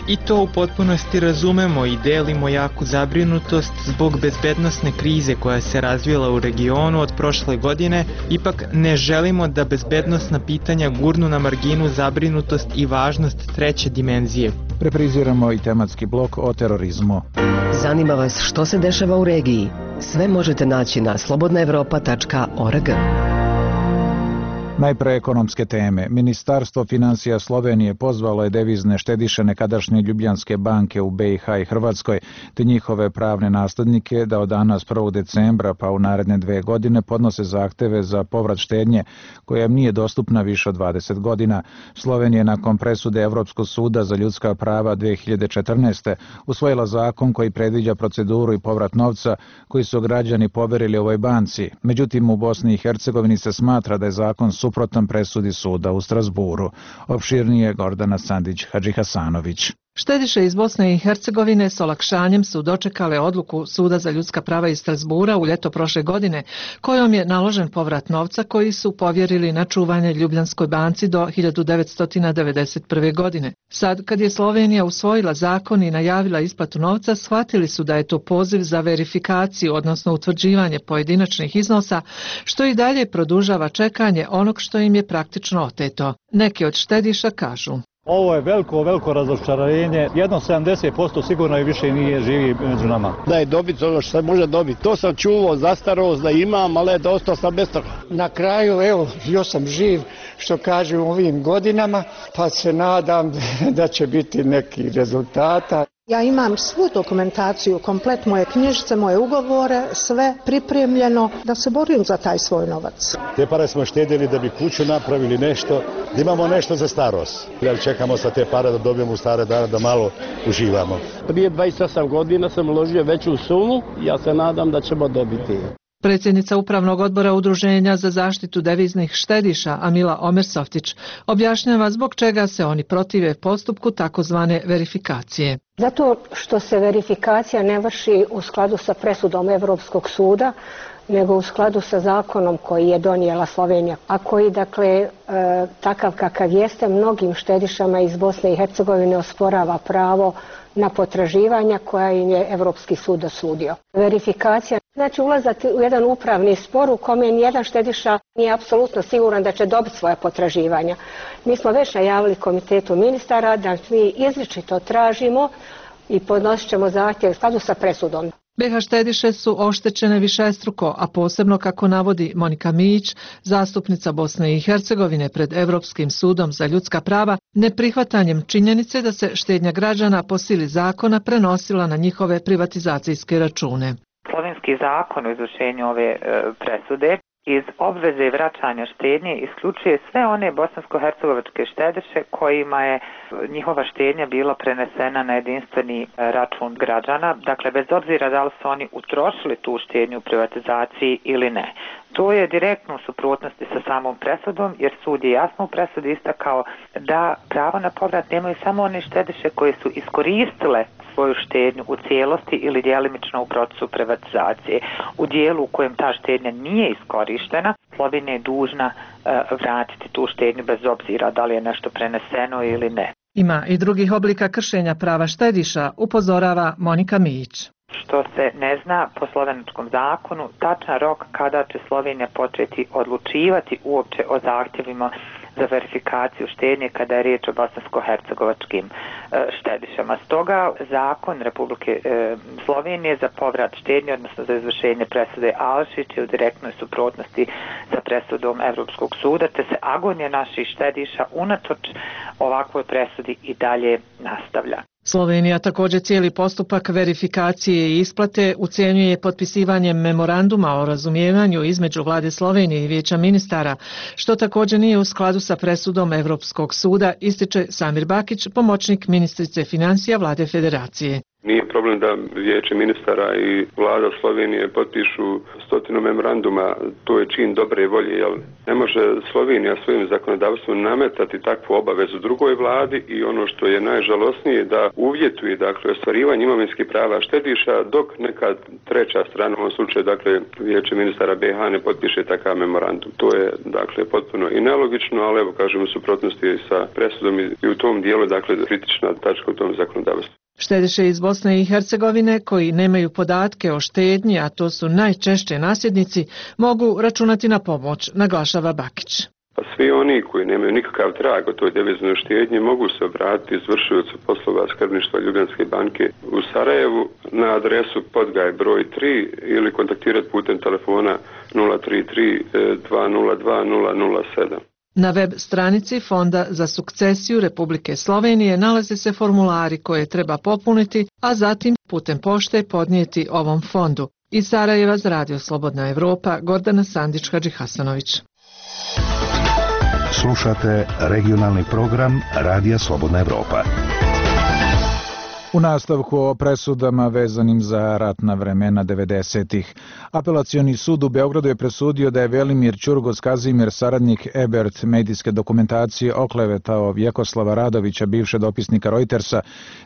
I to u potpunosti razumemo i delimo jaku zabrinutost zbog bezbednosne krize koja se razvijela u regionu od prošle godine. Ipak ne želimo da bezbednosna pitanja gurnu na marginu zabrinutost i važnost treće dimenzije. Repriziramo i tematski blok o terorizmu. Zanima vas što se dešava u regiji? Sve možete naći na slobodna evropa tačka org. Najpre ekonomske teme. Ministarstvo finansija Slovenije pozvalo je devizne štediše nekadašnje Ljubljanske banke u B i H i Hrvatskoj, te njihove pravne naslednike da od danas prvog decembra pa u naredne dve godine podnose zahteve za povrat štednje koja im nije dostupna više od dvadeset godina. Slovenija nakon presude Evropskog suda za ljudska prava dve hiljade četrnaeste. usvojila zakon koji predviđa proceduru i povrat novca koji su građani poverili ovoj banci. Međutim, u Bosni i Hercegovini se smatra da je zakon suprotan presudi suda u Strasburu. Opširnije Gordana Sandić-Hadžihasanović. Štediše iz Bosne i Hercegovine s olakšanjem su dočekale odluku Suda za ljudska prava iz Strasbura u ljeto prošle godine, kojom je naložen povrat novca koji su povjerili na čuvanje Ljubljanskoj banci do hiljadu devetsto devedeset prve. godine. Sad, kad je Slovenija usvojila zakon i najavila isplatu novca, shvatili su da je to poziv za verifikaciju, odnosno utvrđivanje pojedinačnih iznosa, što i dalje produžava čekanje onog što im je praktično oteto. Neki od štediša kažu: Ovo je veliko, veliko razočarenje. Jedno sedamdeset posto sigurno i više nije živi među nama. Da je dobiti ono što se može dobiti. To sam čuvao, zastarost da imam, ali da ostao sam bez toga. Na kraju, evo, još sam živ, što kažu u ovim godinama, pa se nadam da će biti neki rezultata. Ja imam svu dokumentaciju, komplet moje knjižice, moje ugovore, sve pripremljeno da se borim za taj svoj novac. Te pare smo štedili da bi kuću napravili nešto, da imamo nešto za starost. Jer čekamo sa te pare da dobijemo u stare dane da malo uživamo. Prije dvadeset osam godina sam uložio veću sumu, ja se nadam da ćemo dobiti. Predsjednica Upravnog odbora Udruženja za zaštitu deviznih štediša Amila Omer Softić objašnjava zbog čega se oni protive postupku takozvane verifikacije. Zato što se verifikacija ne vrši u skladu sa presudom Evropskog suda, nego u skladu sa zakonom koji je donijela Slovenija, a koji, dakle, e, takav kakav jeste, mnogim štedišama iz Bosne i Hercegovine osporava pravo na potraživanja koja im je Evropski sud dosudio. Verifikacija znači ulazak u jedan upravni spor u kome nijedan štediša nije apsolutno siguran da će dobiti svoje potraživanja. Mi smo već najavili komitetu ministara da mi izričito tražimo i podnosit ćemo zahtjev u skladu sa presudom. B H štediše su oštećene višestruko, a posebno, kako navodi Monika Mijić, zastupnica Bosne i Hercegovine pred Evropskim sudom za ljudska prava, neprihvatanjem činjenice da se štednja građana po sili zakona prenosila na njihove privatizacijske račune. Slovenski zakon o izvršenju ove e, presude iz obveze vraćanja štednje isključuje sve one bosansko-hercegovačke štedeše kojima je njihova štednja bila prenesena na jedinstveni račun građana, dakle bez obzira da li su oni utrošili tu štednju u privatizaciji ili ne. To je direktno u suprotnosti sa samom presudom, jer sud je jasno u presudi istakao da pravo na povrat nemaju samo one štedeše koje su iskoristile svoju štednju u cijelosti ili djelimično u procesu privatizacije. U dijelu u kojem ta štednja nije iskorištena, Slovenija je dužna uh, vratiti tu štednju bez obzira da li je nešto preneseno ili ne. Ima i drugih oblika kršenja prava štediša, upozorava Monika Mijić. Što se ne zna po slovenačkom zakonu, tačan rok kada će Slovenija početi odlučivati uopće o zahtjevima za verifikaciju štednje kada je riječ o bosansko-hercegovačkim štedišama. Stoga zakon Republike Slovenije za povrat štednje, odnosno za izvršenje presude Alšić, je u direktnoj suprotnosti sa presudom Evropskog suda, te se agonija naših štediša unatoč ovakvoj presudi i dalje nastavlja. Slovenija također cijeli postupak verifikacije i isplate ucijenjuje potpisivanjem memoranduma o razumijevanju između Vlade Slovenije i Vijeća ministara, što također nije u skladu sa presudom Evropskog suda, ističe Samir Bakić, pomoćnik ministrice financija Vlade Federacije. Nije problem da Vijeće ministara i vlada Slovenije potpišu stotinu memoranduma, to je čin dobre volje, jer ne može Slovenija svojim zakonodavstvom nametati takvu obavezu drugoj vladi i ono što je najžalosnije da uvjetuje dakle ostvarivanje imovinskih prava štediša dok neka treća strana, u ovom slučaju dakle Vijeće ministara B H ne potpiše takav memorandum. To je dakle potpuno i nelogično, ali evo kažemo suprotnosti sa presudom i u tom dijelu dakle kritična tačka u tom zakonodavstvu. Štedeše iz Bosne i Hercegovine koji nemaju podatke o štednji, a to su najčešće nasljednici, mogu računati na pomoć, naglašava Bakić. Pa svi oni koji nemaju nikakav trag o toj deviznoj štednji mogu se obratiti izvršiocu poslova skrbništva Ljubljanske banke u Sarajevu na adresu Podgaj broj tri ili kontaktirati putem telefona nula tri tri dva nula dva nula nula sedam. Na web stranici Fonda za sukcesiju Republike Slovenije nalaze se formulari koje treba popuniti, a zatim putem pošte podnijeti ovom fondu. Iz Sarajeva za Radio Slobodna Evropa, Gordana Sandić-Hadžihasanović. Slušate regionalni program Radija Slobodna Evropa. U nastavku o presudama vezanim za ratna vremena devedesetih. Apelacioni sud u Beogradu je presudio da je Velimir Ćurgos Kazimir, saradnik Ebert medijske dokumentacije, oklevetao Vjekoslava Radovića, bivšeg dopisnika Reutersa,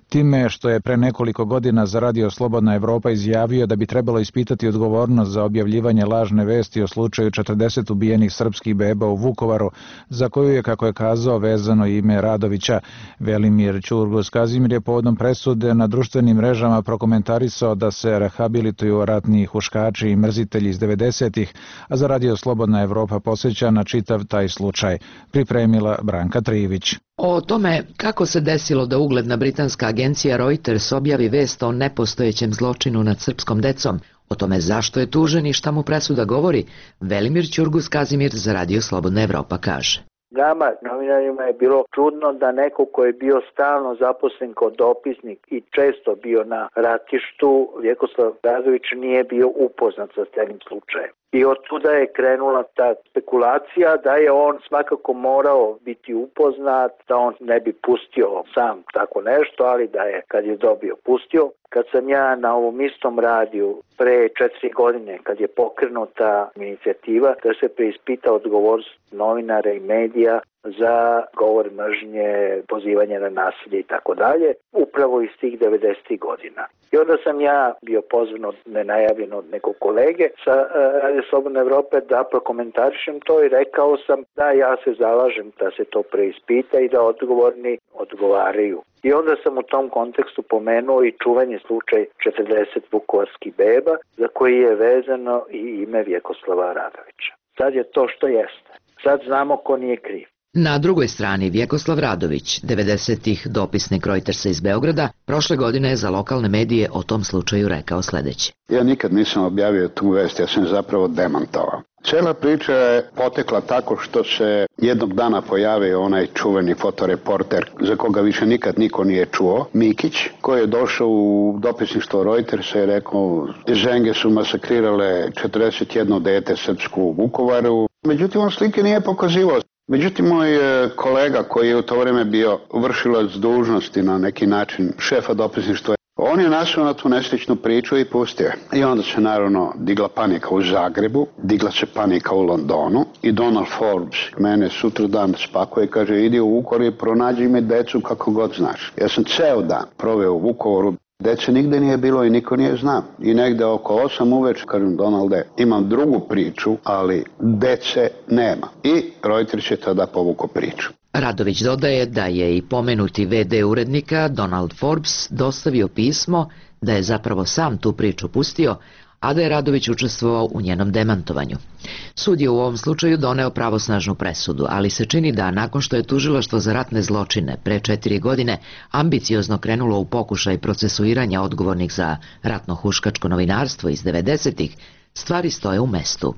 time što je pre nekoliko godina za Radio Slobodna Evropa izjavio da bi trebalo ispitati odgovornost za objavljivanje lažne vesti o slučaju četrdeset ubijenih srpskih beba u Vukovaru, za koju je, kako je kazao, vezano ime Radovića. Velimir Ćurgos Kazimir je povodom presude na društvenim mrežama prokomentarisao da se rehabilituju ratni huškači i mrzitelji iz devedesetih, a za Radio Slobodna Evropa posjeća na čitav taj slučaj. Pripremila Branka Trivić. O tome kako se desilo da ugledna britanska agencija Reuters objavi vest o nepostojećem zločinu nad srpskom decom, o tome zašto je tužen i šta mu presuda govori, Velimir Ćurgos Kazimir za Radio Slobodna Evropa kaže. Nama, novinarima, je bilo čudno da neko ko je bio stalno zaposlen kao dopisnik i često bio na ratištu, Vjekoslav Radović, nije bio upoznat sa celim slučajem. I od tuda je krenula ta spekulacija da je on svakako morao biti upoznat, da on ne bi pustio sam tako nešto, ali da je, kad je dobio, pustio. Kad sam ja na ovom istom radiju pre četiri godine, kad je pokrenuta inicijativa da se preispita odgovornost novinara i medija za govor mržnje, pozivanje na nasilje i tako dalje, upravo iz tih devedesetih godina. I onda sam ja bio pozvan od nenajavljen od nekog kolege sa uh, Radio Slobodne Evrope da prokomentarišem to i rekao sam da ja se zalažem da se to preispita i da odgovorni odgovaraju. I onda sam u tom kontekstu pomenuo i čuveni slučaj četrdeset vukovarskih beba za koji je vezano i ime Vjekoslava Radovića. Sad je to što jeste. Sad znamo ko nije kriv. Na drugoj strani Vjekoslav Radović, devedesetih dopisnik Reutersa iz Beograda, prošle godine je za lokalne medije o tom slučaju rekao sledeće. Ja nikad nisam objavio tu vest, ja sam zapravo demantovao. Cela priča je potekla tako što se jednog dana pojavio onaj čuveni fotoreporter za koga više nikad niko nije čuo, Mikić, koji je došao u dopisništvo Reutersa i rekao Ženge su masakrirale četrdeset jedno dete srpsku u Vukovaru. Međutim, on slike nije pokazivao. Međutim, moj kolega koji je u to vreme bio vršilac dužnosti na neki način šefa dopisništva, on je našao na tu nesličnu priču i pustio. I onda se naravno digla panika u Zagrebu, digla se panika u Londonu i Donald Forbes mene sutra dan spakuje i kaže idi u Vukovar i pronađi mi decu kako god znaš. Ja sam ceo dan proveo u Vukovaru. Dece nigde nije bilo i niko nije znao. I negde oko osam uveče, kažem Donalde, imam drugu priču, ali dece nema. I Reuters je tada povukao priču. Radović dodaje da je i pomenuti ve de urednika Donald Forbes dostavio pismo da je zapravo sam tu priču pustio, a da je Radović učestvovao u njenom demantovanju. Sud je u ovom slučaju doneo pravosnažnu presudu, ali se čini da nakon što je tužilaštvo za ratne zločine pre četiri godine ambiciozno krenulo u pokušaj procesuiranja odgovornih za ratno-huškačko novinarstvo iz devedesetih, stvari stoje u mestu.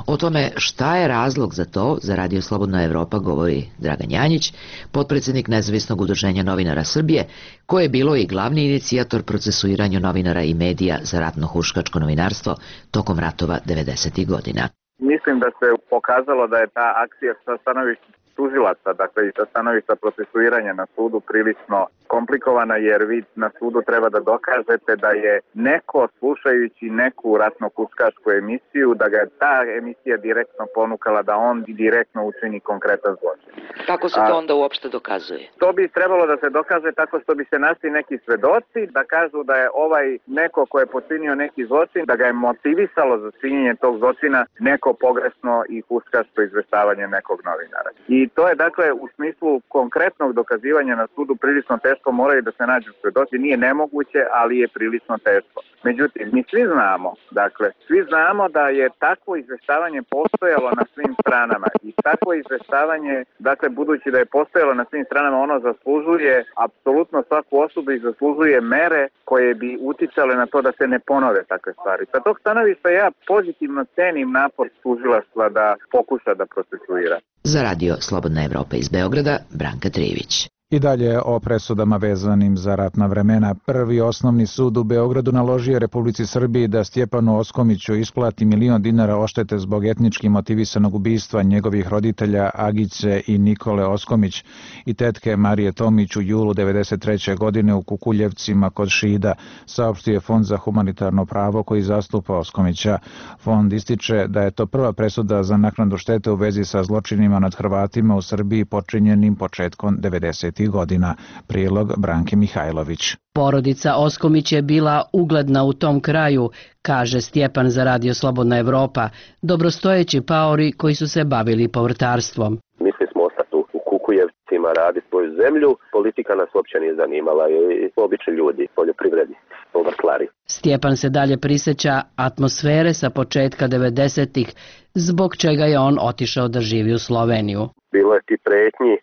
O tome šta je razlog za to, za Radio Slobodna Evropa govori Dragan Janjić, potpredsjednik Nezavisnog udruženja novinara Srbije, koje je bilo i glavni inicijator procesuiranju novinara i medija za ratno-huškačko novinarstvo tokom ratova devedesetih godina. Mislim da se pokazalo da je ta akcija sa stanovišta tužilaca, dakle i sa stanovišta procesuiranja na sudu prilično komplikovana, jer vi na sudu treba da dokažete da je neko slušajući neku ratno-huškačku emisiju, da ga je ta emisija direktno ponukala da on direktno učini konkretan zločin. Kako se to onda uopšte dokazuje? To bi trebalo da se dokaže tako što bi se našli neki svedoci da kažu da je ovaj neko ko je počinio neki zločin, da ga je motivisalo za činjenje tog zločina neko pogrešno i huškačko izveštavanje nekog novinara. I to je dakle u smislu konkretnog dokazivanja na sudu prilično teško, moraju da se nađu svedoci, nije nemoguće, ali je prilično teško. Međutim, mi svi znamo, dakle, svi znamo da je takvo izveštavanje postojalo na svim stranama i takvo izveštavanje, dakle, budući da je postojalo na svim stranama, ono zaslužuje apsolutno svaku osobu i zaslužuje mere koje bi uticale na to da se ne ponove takve stvari. Sa tog stanovišta ja pozitivno cenim napor tužilaštva da pokuša da procesuira. Za Radio Slobodna Evropa iz Beograda, Branka Trivić. I dalje o presudama vezanim za ratna vremena. Prvi osnovni sud u Beogradu naložio je Republici Srbiji da Stjepanu Oskomiću isplati milion dinara oštete zbog etnički motivisanog ubistva njegovih roditelja Agice i Nikole Oskomić i tetke Marije Tomić u julu devedeset treće godine u Kukuljevcima kod Šida, saopštio je Fond za humanitarno pravo koji zastupa Oskomića. Fond ističe da je to prva presuda za naknadu štete u vezi sa zločinima nad Hrvatima u Srbiji počinjenim početkom devedesetih godina. Prilog Branke Mihajlović. Porodica Oskomić je bila ugledna u tom kraju, kaže Stjepan za Radio Slobodna Evropa, dobrostojeći paori koji su se bavili povrtarstvom. Mislili smo ostati u Kukujevcima, raditi svoju zemlju, politika nas uopće nije zanimala i obični ljudi, poljoprivrednici, povrtlari. Stjepan se dalje prisjeća atmosfere sa početka devedesetih, zbog čega je on otišao da živi u Sloveniju. Bilo je ti pretnji,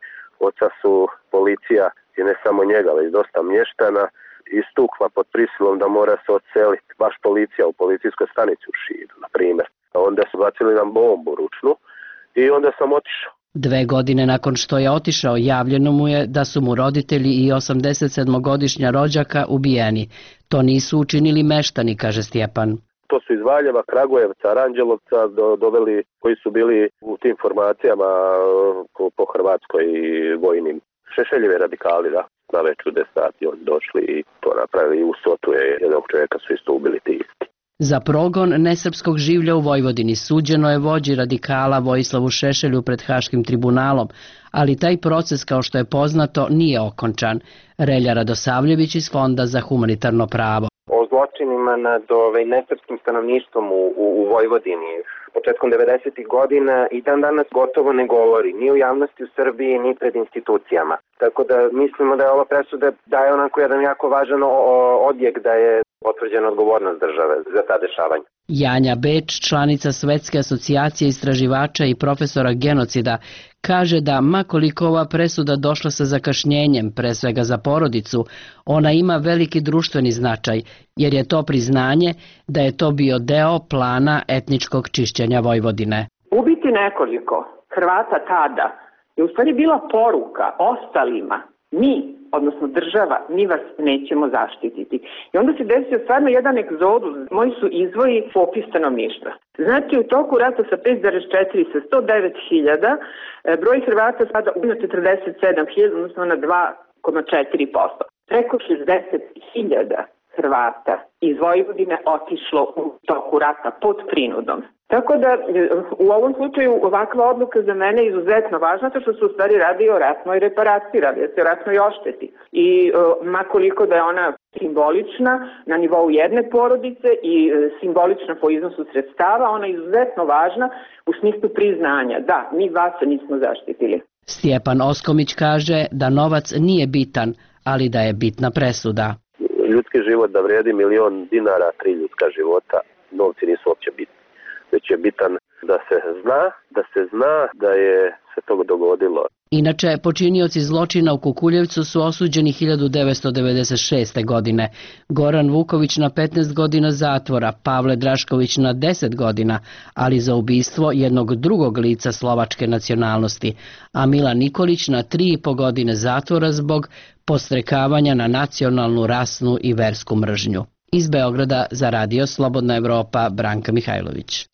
oca su policija i ne samo njega, već dosta mještana istukla pod prisilom da mora se odseliti. Baš policija u policijskoj stanici u Šidu, na primjer. Onda su bacili nam bombu ručnu i onda sam otišao. Dve godine nakon što je otišao, javljeno mu je da su mu roditelji i osamdesetsedmogodišnja rođaka ubijeni. To nisu učinili meštani, kaže Stjepan. To su iz Valjeva, Kragujevca, Aranđelovca do, doveli koji su bili u tim formacijama po, po Hrvatskoj i vojnim. Šešeljevi radikali, da, na već u deset sati oni došli i to napravili i u Sotu je jednog čovjeka su isto ubili ti isti. Za progon nesrpskog življa u Vojvodini suđeno je vođi radikala Vojislavu Šešelju pred Haškim tribunalom, ali taj proces, kao što je poznato, nije okončan. Relja Radosavljević iz Fonda za humanitarno pravo. O zločinima nad ovaj, nesrpskim stanovništvom u, u, u Vojvodini početkom devedesetih godina i dan danas gotovo ne govori, ni u javnosti u Srbiji, ni pred institucijama. Tako da mislimo da je ova presuda daje onako jedan jako važan odjek da je potvrđena odgovornost države za ta dešavanja. Janja Beč, članica Svetske asocijacije istraživača i profesora genocida, kaže da makoliko ova presuda došla sa zakašnjenjem, pre svega za porodicu, ona ima veliki društveni značaj, jer je to priznanje da je to bio deo plana etničkog čišćenja Vojvodine. Ubiti nekoliko Hrvata tada je u stvari bila poruka ostalima, mi, odnosno država, mi vas nećemo zaštititi. I onda se desio stvarno jedan egzodus. Moji su izvoji popis stanovništva. Znači, u toku rata sa pet zarez četiri sa sto devet hiljada, broj Hrvata sada na četrdeset sedam hiljada, odnosno na dva zarez četiri posto. Preko šezdeset hiljada Hrvata iz Vojvodine otišlo u toku rata pod prinudom. Tako da u ovom slučaju ovakva odluka za mene je izuzetno važna, to što se u stvari radi o ratnoj reparaciji, radi se o ratnoj ošteti. I makoliko da je ona simbolična na nivou jedne porodice i simbolična po iznosu sredstava, ona je izuzetno važna u smislu priznanja. Da, mi vas nismo zaštitili. Stjepan Oskomić kaže da novac nije bitan, ali da je bitna presuda. Ljudski život da vredi milion dinara, tri ljudska života, novci nisu uopće bitni. Već je bitan da se zna, da se zna da je se to dogodilo. Inače, počinioci zločina u Kukuljevcu su osuđeni hiljadu devetsto devedeset šeste. godine. Goran Vuković na petnaest godina zatvora, Pavle Drašković na deset godina, ali za ubistvo jednog drugog lica slovačke nacionalnosti, a Milan Nikolić na tri i po godine zatvora zbog podstrekavanja na nacionalnu, rasnu i versku mržnju. Iz Beograda za Radio Slobodna Evropa, Branka Mihajlović.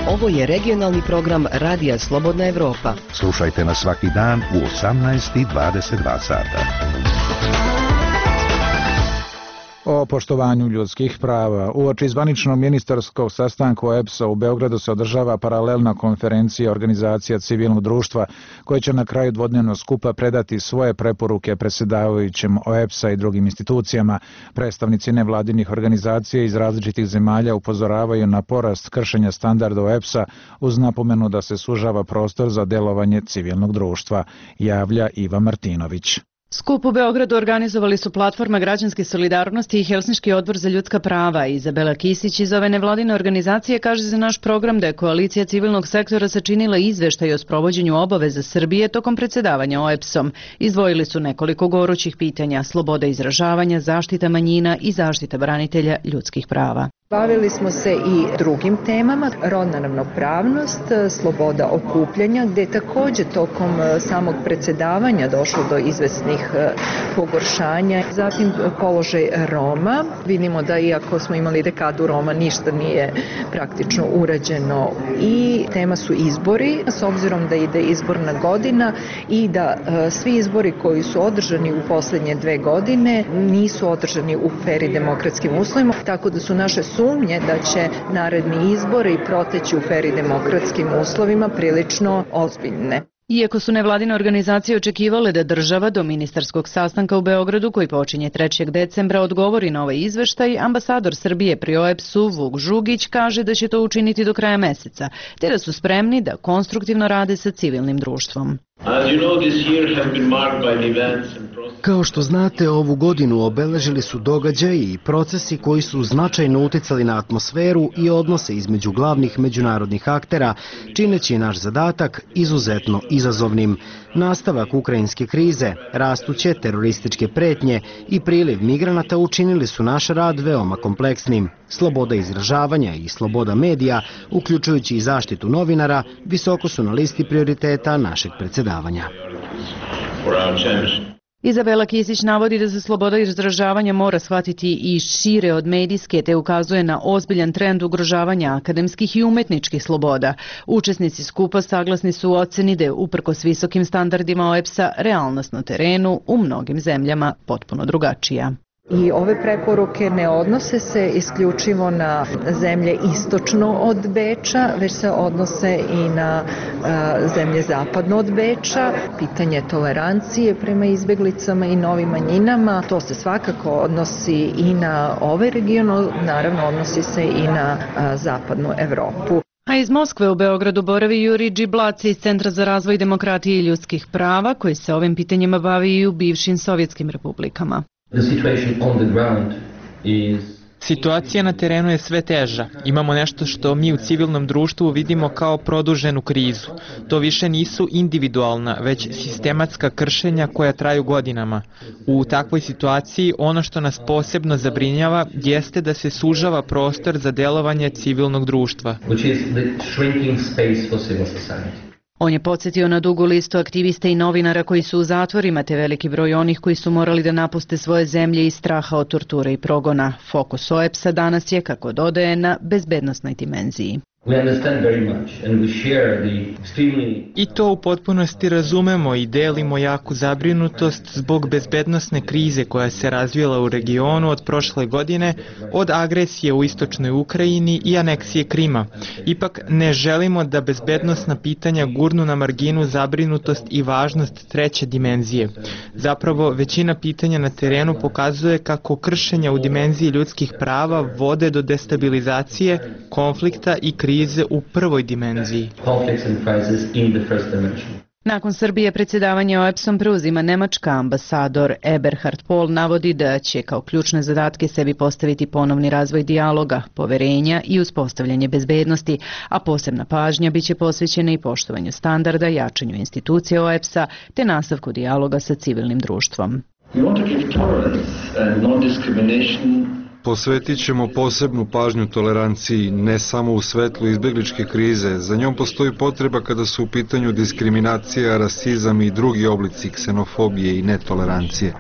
Ovo je regionalni program Radija Slobodna Evropa. Slušajte nas svaki dan u osamnaest i dvadeset dva sata. O poštovanju ljudskih prava. Uoči zvaničnog ministarskog sastanka O E B S-a u Beogradu se održava paralelna konferencija organizacija civilnog društva koja će na kraju dvodnevnog skupa predati svoje preporuke predsjedavajućem O E B S-a i drugim institucijama. Predstavnici nevladinih organizacija iz različitih zemalja upozoravaju na porast kršenja standarda O E B S-a uz napomenu da se sužava prostor za delovanje civilnog društva, javlja Iva Martinović. Skup u Beogradu organizovali su Platforma građanske solidarnosti i Helsinški odbor za ljudska prava. Izabela Kisić iz ove nevladine organizacije kaže za naš program da je koalicija civilnog sektora sačinila izveštaj o sprovođenju obaveza Srbije tokom predsjedavanja O E B S-om. Izdvojili su nekoliko gorućih pitanja: sloboda izražavanja, zaštita manjina i zaštita branitelja ljudskih prava. Bavili smo se i drugim temama, rodna ravnopravnost, sloboda okupljanja, gdje je također tokom samog predsjedavanja došlo do izvesnih pogoršanja. Zatim položaj Roma. Vidimo da iako smo imali dekadu Roma, ništa nije praktično urađeno. I tema su izbori, s obzirom da ide izborna godina i da svi izbori koji su održani u posljednje dve godine nisu održani u fer i demokratskim uslovima, tako da su naše sumnje da će naredni izbori proteći u fer i demokratskim uslovima prilično ozbiljne. Iako su nevladine organizacije očekivale da država do ministarskog sastanka u Beogradu, koji počinje trećeg decembra, odgovori na ovaj izveštaj, ambasador Srbije pri O E B S-u Vuk Žugić kaže da će to učiniti do kraja meseca, te da su spremni da konstruktivno rade sa civilnim društvom. Kao što znate, ovu godinu obeležili su događaji i procesi koji su značajno uticali na atmosferu i odnose između glavnih međunarodnih aktera, čineći naš zadatak izuzetno izazovnim. Nastavak ukrajinske krize, rastuće terorističke pretnje i priliv migranata učinili su naš rad veoma kompleksnim. Sloboda izražavanja i sloboda medija, uključujući i zaštitu novinara, visoko su na listi prioriteta našeg predsjedavanja. Izabela Kisić navodi da se sloboda izražavanja mora shvatiti i šire od medijske, te ukazuje na ozbiljan trend ugrožavanja akademskih i umetničkih sloboda. Učesnici skupa saglasni su u oceni da je uprkos visokim standardima O E B S-a realnost na terenu u mnogim zemljama potpuno drugačija. I ove preporuke ne odnose se isključivo na zemlje istočno od Beča, već se odnose i na a, zemlje zapadno od Beča. Pitanje tolerancije prema izbjeglicama i novim manjinama, to se svakako odnosi i na ovaj region, naravno odnosi se i na a, zapadnu Evropu. A iz Moskve u Beogradu boravi Juri Džiblaci iz Centra za razvoj demokratije i ljudskih prava, koji se ovim pitanjima bavi i u bivšim sovjetskim republikama. The situation on the ground is Situacija na terenu je sve teža. Imamo nešto što mi u civilnom društvu vidimo kao produženu krizu. To više nisu individualna, već sistematska kršenja koja traju godinama. U takvoj situaciji ono što nas posebno zabrinjava jeste da se sužava prostor za delovanje civilnog društva. which is the shrinking space for civil society. On je podsjetio na dugu listu aktivista i novinara koji su u zatvorima, te veliki broj onih koji su morali da napuste svoje zemlje iz straha od torture i progona. Fokus O E P S-a danas je, kako dodaje, na bezbednosnoj dimenziji. We understand very much and we share the extremely... I to u potpunosti razumemo i delimo jaku zabrinutost zbog bezbednosne krize koja se razvijela u regionu od prošle godine, od agresije u istočnoj Ukrajini i aneksije Krima. Ipak ne želimo da bezbednosna pitanja gurnu na marginu zabrinutost i važnost treće dimenzije. Zapravo, većina pitanja na terenu pokazuje kako kršenja u dimenziji ljudskih prava vode do destabilizacije, konflikta i krize krize u prvoj dimenziji. Nakon Srbije predsjedavanje O E P S-om preuzima Nemačka. Ambasador Eberhard Pohl navodi da će kao ključne zadatke sebi postaviti ponovni razvoj dijaloga, poverenja i uspostavljanje bezbednosti, a posebna pažnja biće posvećena i poštovanju standarda, jačanju institucije O E P S-a te nastavku dijaloga sa civilnim društvom. Posvetit ćemo posebnu pažnju toleranciji, ne samo u svetlu izbjegličke krize. Za njom postoji potreba kada su u pitanju diskriminacija, rasizam i drugi oblici ksenofobije i netolerancije.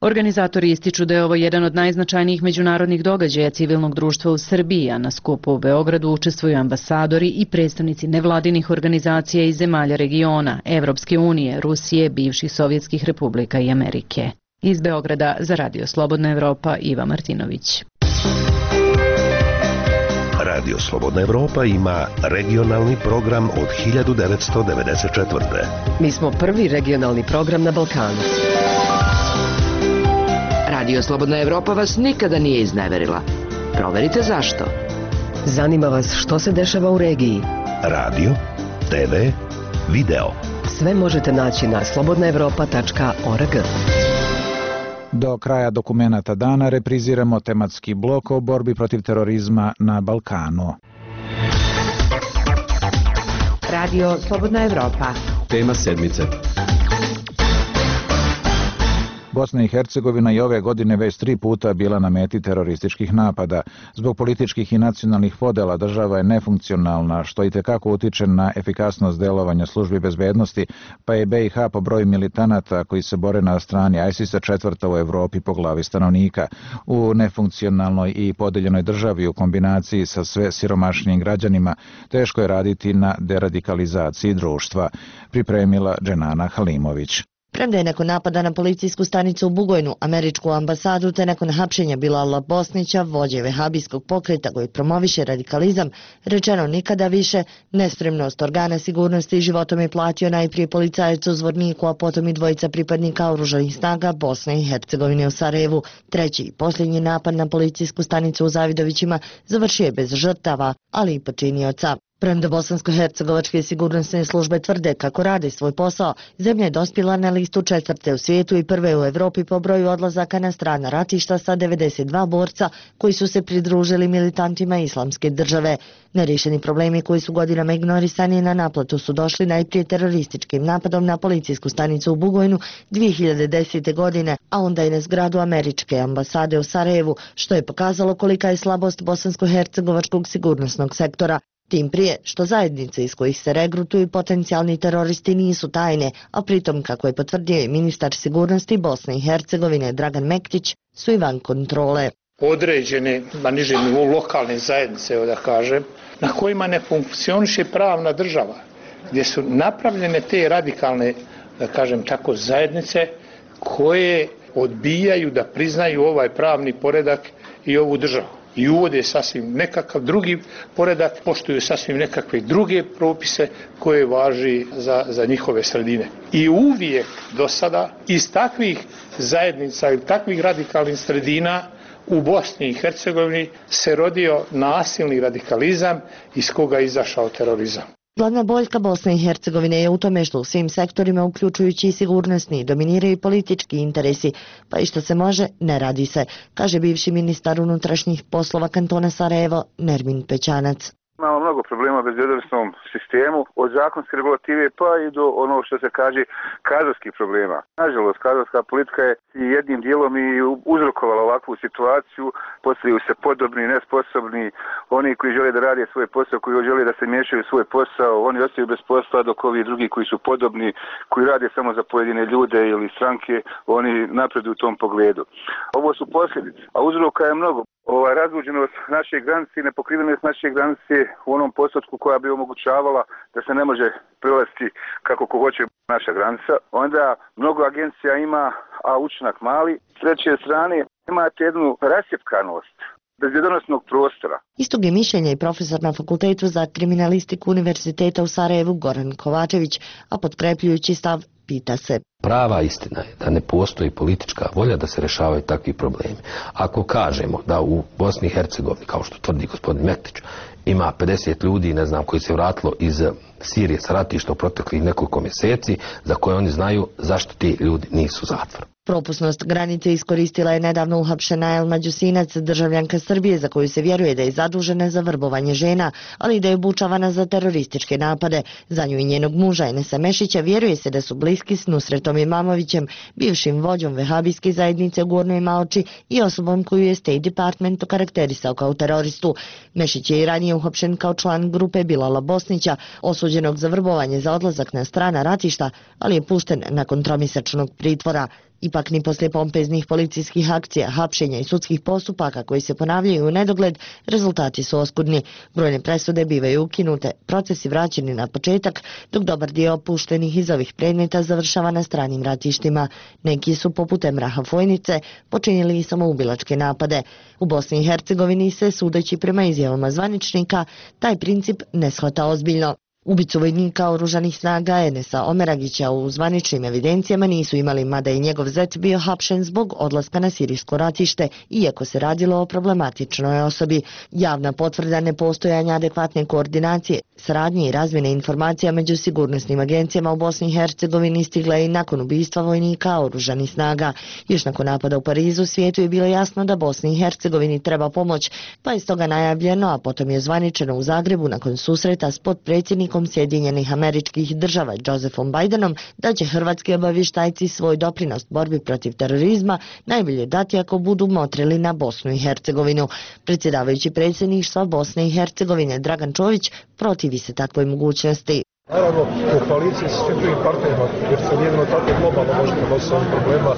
Organizatori ističu da je ovo jedan od najznačajnijih međunarodnih događaja civilnog društva u Srbiji, a na skupu u Beogradu učestvuju ambasadori i predstavnici nevladinih organizacija iz zemalja regiona, Evropske unije, Rusije, bivših sovjetskih republika i Amerike. Iz Beograda za Radio Slobodna Evropa, Iva Martinović. Radio Slobodna Evropa ima regionalni program od hiljadu devetsto devedeset četvrte. Mi smo prvi regionalni program na Balkanu. Radio Slobodna Evropa vas nikada nije izneverila. Proverite zašto. Zanima vas što se dešava u regiji. Radio, te ve, video. Sve možete naći na slobodna evropa tačka org. Do kraja dokumenata dana repriziramo tematski blok o borbi protiv terorizma na Balkanu. Radio Slobodna Evropa. Tema sedmice. Bosna i Hercegovina i ove godine već tri puta bila na meti terorističkih napada. Zbog političkih i nacionalnih podela država je nefunkcionalna, što i tekako utiče na efikasnost delovanja službi bezbednosti, pa je B i H po broju militanata koji se bore na strani ISIS-a četvrta u Evropi po glavi stanovnika. U nefunkcionalnoj i podeljenoj državi u kombinaciji sa sve siromašnijim građanima teško je raditi na deradikalizaciji društva, pripremila Dženana Halimović. Premda je nakon napada na policijsku stanicu u Bugojnu, američku ambasadu, te nakon hapšenja Bilala Bosnića, vođe vehabijskog pokreta koji promoviše radikalizam, rečeno nikada više, nespremnost organa sigurnosti životom je platio najprije policajac u Zvorniku, a potom i dvojica pripadnika oružanih snaga Bosne i Hercegovine u Sarajevu. Treći i posljednji napad na policijsku stanicu u Zavidovićima završio je bez žrtava, ali i počinioca. Premda bosansko-hercegovačke sigurnosne službe tvrde kako rade svoj posao, zemlja je dospjela na listu četvrte u svijetu i prve u Evropi po broju odlazaka na strana ratišta sa devedeset dva borca koji su se pridružili militantima islamske države. Nerešeni problemi koji su godinama ignorisani na naplatu su došli najprije terorističkim napadom na policijsku stanicu u Bugojnu dvije hiljade desete. godine, a onda i na zgradu američke ambasade u Sarajevu, što je pokazalo kolika je slabost bosansko-hercegovačkog sigurnosnog sektora. Tim prije što zajednice iz kojih se regrutuju potencijalni teroristi nisu tajne, a pritom, kako je potvrdio i ministar sigurnosti Bosne i Hercegovine Dragan Mektić, su i van kontrole. Određene, na nižem nivou lokalne zajednice, da kažem, na kojima ne funkcioniše pravna država, gdje su napravljene te radikalne, da kažem tako, zajednice koje odbijaju da priznaju ovaj pravni poredak i ovu državu. I uvode sasvim nekakav drugi poredak, poštuju sasvim nekakve druge propise koje važi za, za njihove sredine. I uvijek do sada iz takvih zajednica ili takvih radikalnih sredina u Bosni i Hercegovini se rodio nasilni radikalizam iz koga je izašao terorizam. Glavna boljka Bosne i Hercegovine je u tome što u svim sektorima, uključujući i sigurnosni, dominiraju politički interesi, pa i što se može, ne radi se, kaže bivši ministar unutrašnjih poslova kantona Sarajevo, Nermin Pećanac. Imamo mnogo problema u bezbjednosnom sistemu, od zakonske regulative pa i do ono što se kaže kadrovskih problema. Nažalost, kadrovska politika je jednim dijelom i uzrokovala ovakvu situaciju, postavljaju se podobni, nesposobni, oni koji žele da rade svoj posao, koji žele da se miješaju u svoj posao, oni ostaju bez posla, dok ovi drugi koji su podobni, koji rade samo za pojedine ljude ili stranke, oni napreduju u tom pogledu. Ovo su posljedice, a uzroka je mnogo. Ova razluđenost naše granice i nepokrivenost naše granice u onom postotku koja bi omogućavala da se ne može prelaziti kako ko hoće naša granica. Onda mnogo agencija ima, a učinak mali. S treće strane imate jednu rasjepkanost bezbjednosnog prostora. Istog je mišljenja i profesor na Fakultetu za kriminalistiku Univerziteta u Sarajevu Goran Kovačević, a potkrepljujući stav pita se. Prava istina je da ne postoji politička volja da se rešavaju takvi problemi. Ako kažemo da u Bosni i Hercegovini, kao što tvrdi gospodin Mektić, ima pedeset ljudi, ne znam, koji se vratilo iz Sirije sa ratišta u proteklih nekoliko mjeseci, za koje oni znaju zašto ti ljudi nisu u zatvoru. Propusnost granice iskoristila je nedavno uhapšena Elma Đusinac, državljanka Srbije, za koju se vjeruje da je zadužena za vrbovanje žena, ali da je obučavana za terorističke napade. Za nju i njenog muža Enesa Mešića vjeruje se da su bliski s Nusretom Imamovićem, bivšim vođom vehabijske zajednice u Gornjoj Maoči i osobom koju je State Department okarakterisao kao teroristu. Mešić je i ranije uhapšen kao član grupe Bilala Bosnića, osuđenog za vrbovanje za odlazak na strana ratišta, ali je pušten nakon tromjesečnog pritvora. Ipak ni poslije pompeznih policijskih akcija, hapšenja i sudskih postupaka koji se ponavljaju u nedogled, rezultati su oskudni. Brojne presude bivaju ukinute, procesi vraćeni na početak, dok dobar dio opuštenih iz ovih predmeta završava na stranim ratištima. Neki su, poput Emraha Fojnice, počinili i samoubilačke napade. U Bosni i Hercegovini se, sudeći prema izjavama zvaničnika, taj princip ne shvata ozbiljno. Ubicu vojnika oružanih snaga Enesa Omeragića u zvaničnim evidencijama nisu imali, mada je njegov zet bio hapšen zbog odlaska na sirijsko ratište, iako se radilo o problematičnoj osobi. Javna potvrda nepostojanja adekvatne koordinacije, saradnje i razmjene informacija među sigurnosnim agencijama u Bosni i Hercegovini stigla je i nakon ubistva vojnika oružanih snaga. Još nakon napada u Parizu svijetu je bilo jasno da Bosni i Hercegovini treba pomoć, pa je stoga najavljeno, a potom je zvaničeno u Zagrebu nakon susreta s potpredsjednikom Sjedinjenih Američkih Država Josephom Bidenom, da će hrvatski obavještajci svoj doprinos borbi protiv terorizma najbolje dati ako budu motrili na Bosnu i Hercegovinu. Predsjedavajući predsjedništva Bosne i Hercegovine Dragan Čović protivi se takvoj mogućnosti. Naravno, u koaliciji sa svim drugim partnerima, jer se jedino tako globalno možemo nositi ovih problema,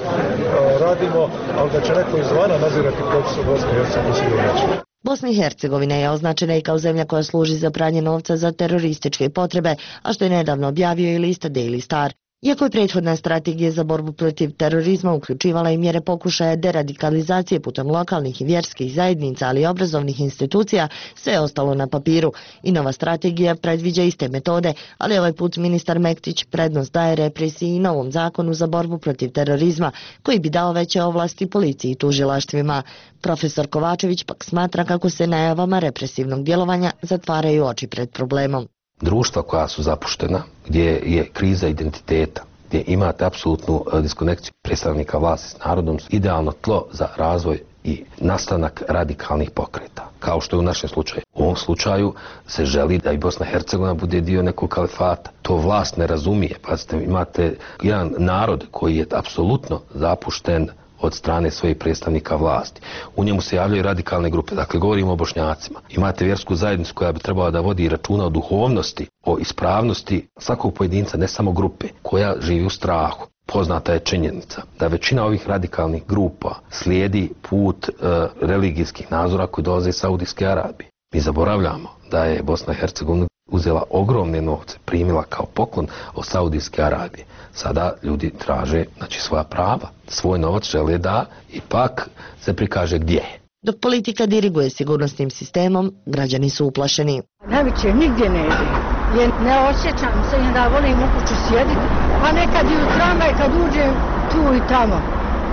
radimo, ali da će neko izvana nadzirati proces u Bosni i Hercegovini sigurno neće. Bosna i Hercegovina je označena i kao zemlja koja služi za pranje novca za terorističke potrebe, a što je nedavno objavio i list Daily Star. Iako je prethodna strategija za borbu protiv terorizma uključivala i mjere pokušaja deradikalizacije putem lokalnih i vjerskih zajednica, ali i obrazovnih institucija, sve je ostalo na papiru. I nova strategija predviđa iste metode, ali ovaj put ministar Mektić prednost daje represiji i novom zakonu za borbu protiv terorizma, koji bi dao veće ovlasti policiji i tužilaštvima. Profesor Kovačević pak smatra kako se najavama represivnog djelovanja zatvaraju oči pred problemom. Društva koja su zapuštena, gdje je kriza identiteta, gdje imate apsolutnu diskonekciju predstavnika vlasti s narodom, idealno tlo za razvoj i nastanak radikalnih pokreta. Kao što je u našem slučaju. U ovom slučaju se želi da i Bosna i Hercegovina bude dio nekog kalifata. To vlast ne razumije. Pazite, imate jedan narod koji je apsolutno zapušten od strane svojih predstavnika vlasti. U njemu se javljaju radikalne grupe, dakle govorimo o Bošnjacima. Imate vjersku zajednicu koja bi trebala da vodi računa o duhovnosti, o ispravnosti svakog pojedinca, ne samo grupe, koja živi u strahu. Poznata je činjenica da većina ovih radikalnih grupa slijedi put e, religijskih nazora koji dolaze iz Saudijske Arabije. Mi zaboravljamo da je Bosna i Hercegovina uzela ogromne novce, primila kao poklon od Saudijske Arabije. Sada ljudi traže, znači, svoja prava, svoj novac žele da ipak se prikaže gdje je. Dok politika diriguje sigurnosnim sistemom, građani su uplašeni. Najveće nigdje ne ide, jer ne osjećam se i da volim u kuću sjediti, a nekad i u tramvaj kad uđem tu i tamo,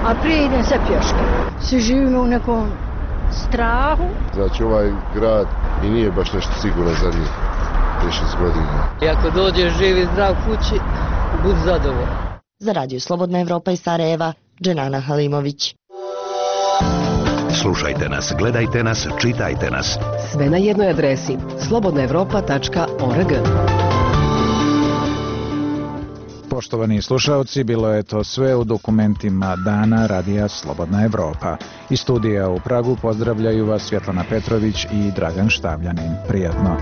a prije idem se pješke. Svi živimo u nekom strahu. Znači ovaj grad i nije baš nešto sigurno za njih. šest godina. I ako dođeš živ i zdrav kući, budi zadovoljan. Za Radio Slobodna Evropa iz Sarajeva, Dženana Halimović. Slušajte nas, gledajte nas, čitajte nas. Sve na jednoj adresi slobodna evropa tačka org. Poštovani slušaoci, bilo je to sve u dokumentima Dana Radija Slobodna Evropa. Iz studija u Pragu pozdravljaju vas Svjetlana Petrović i Dragan Štavljanin. Prijatno.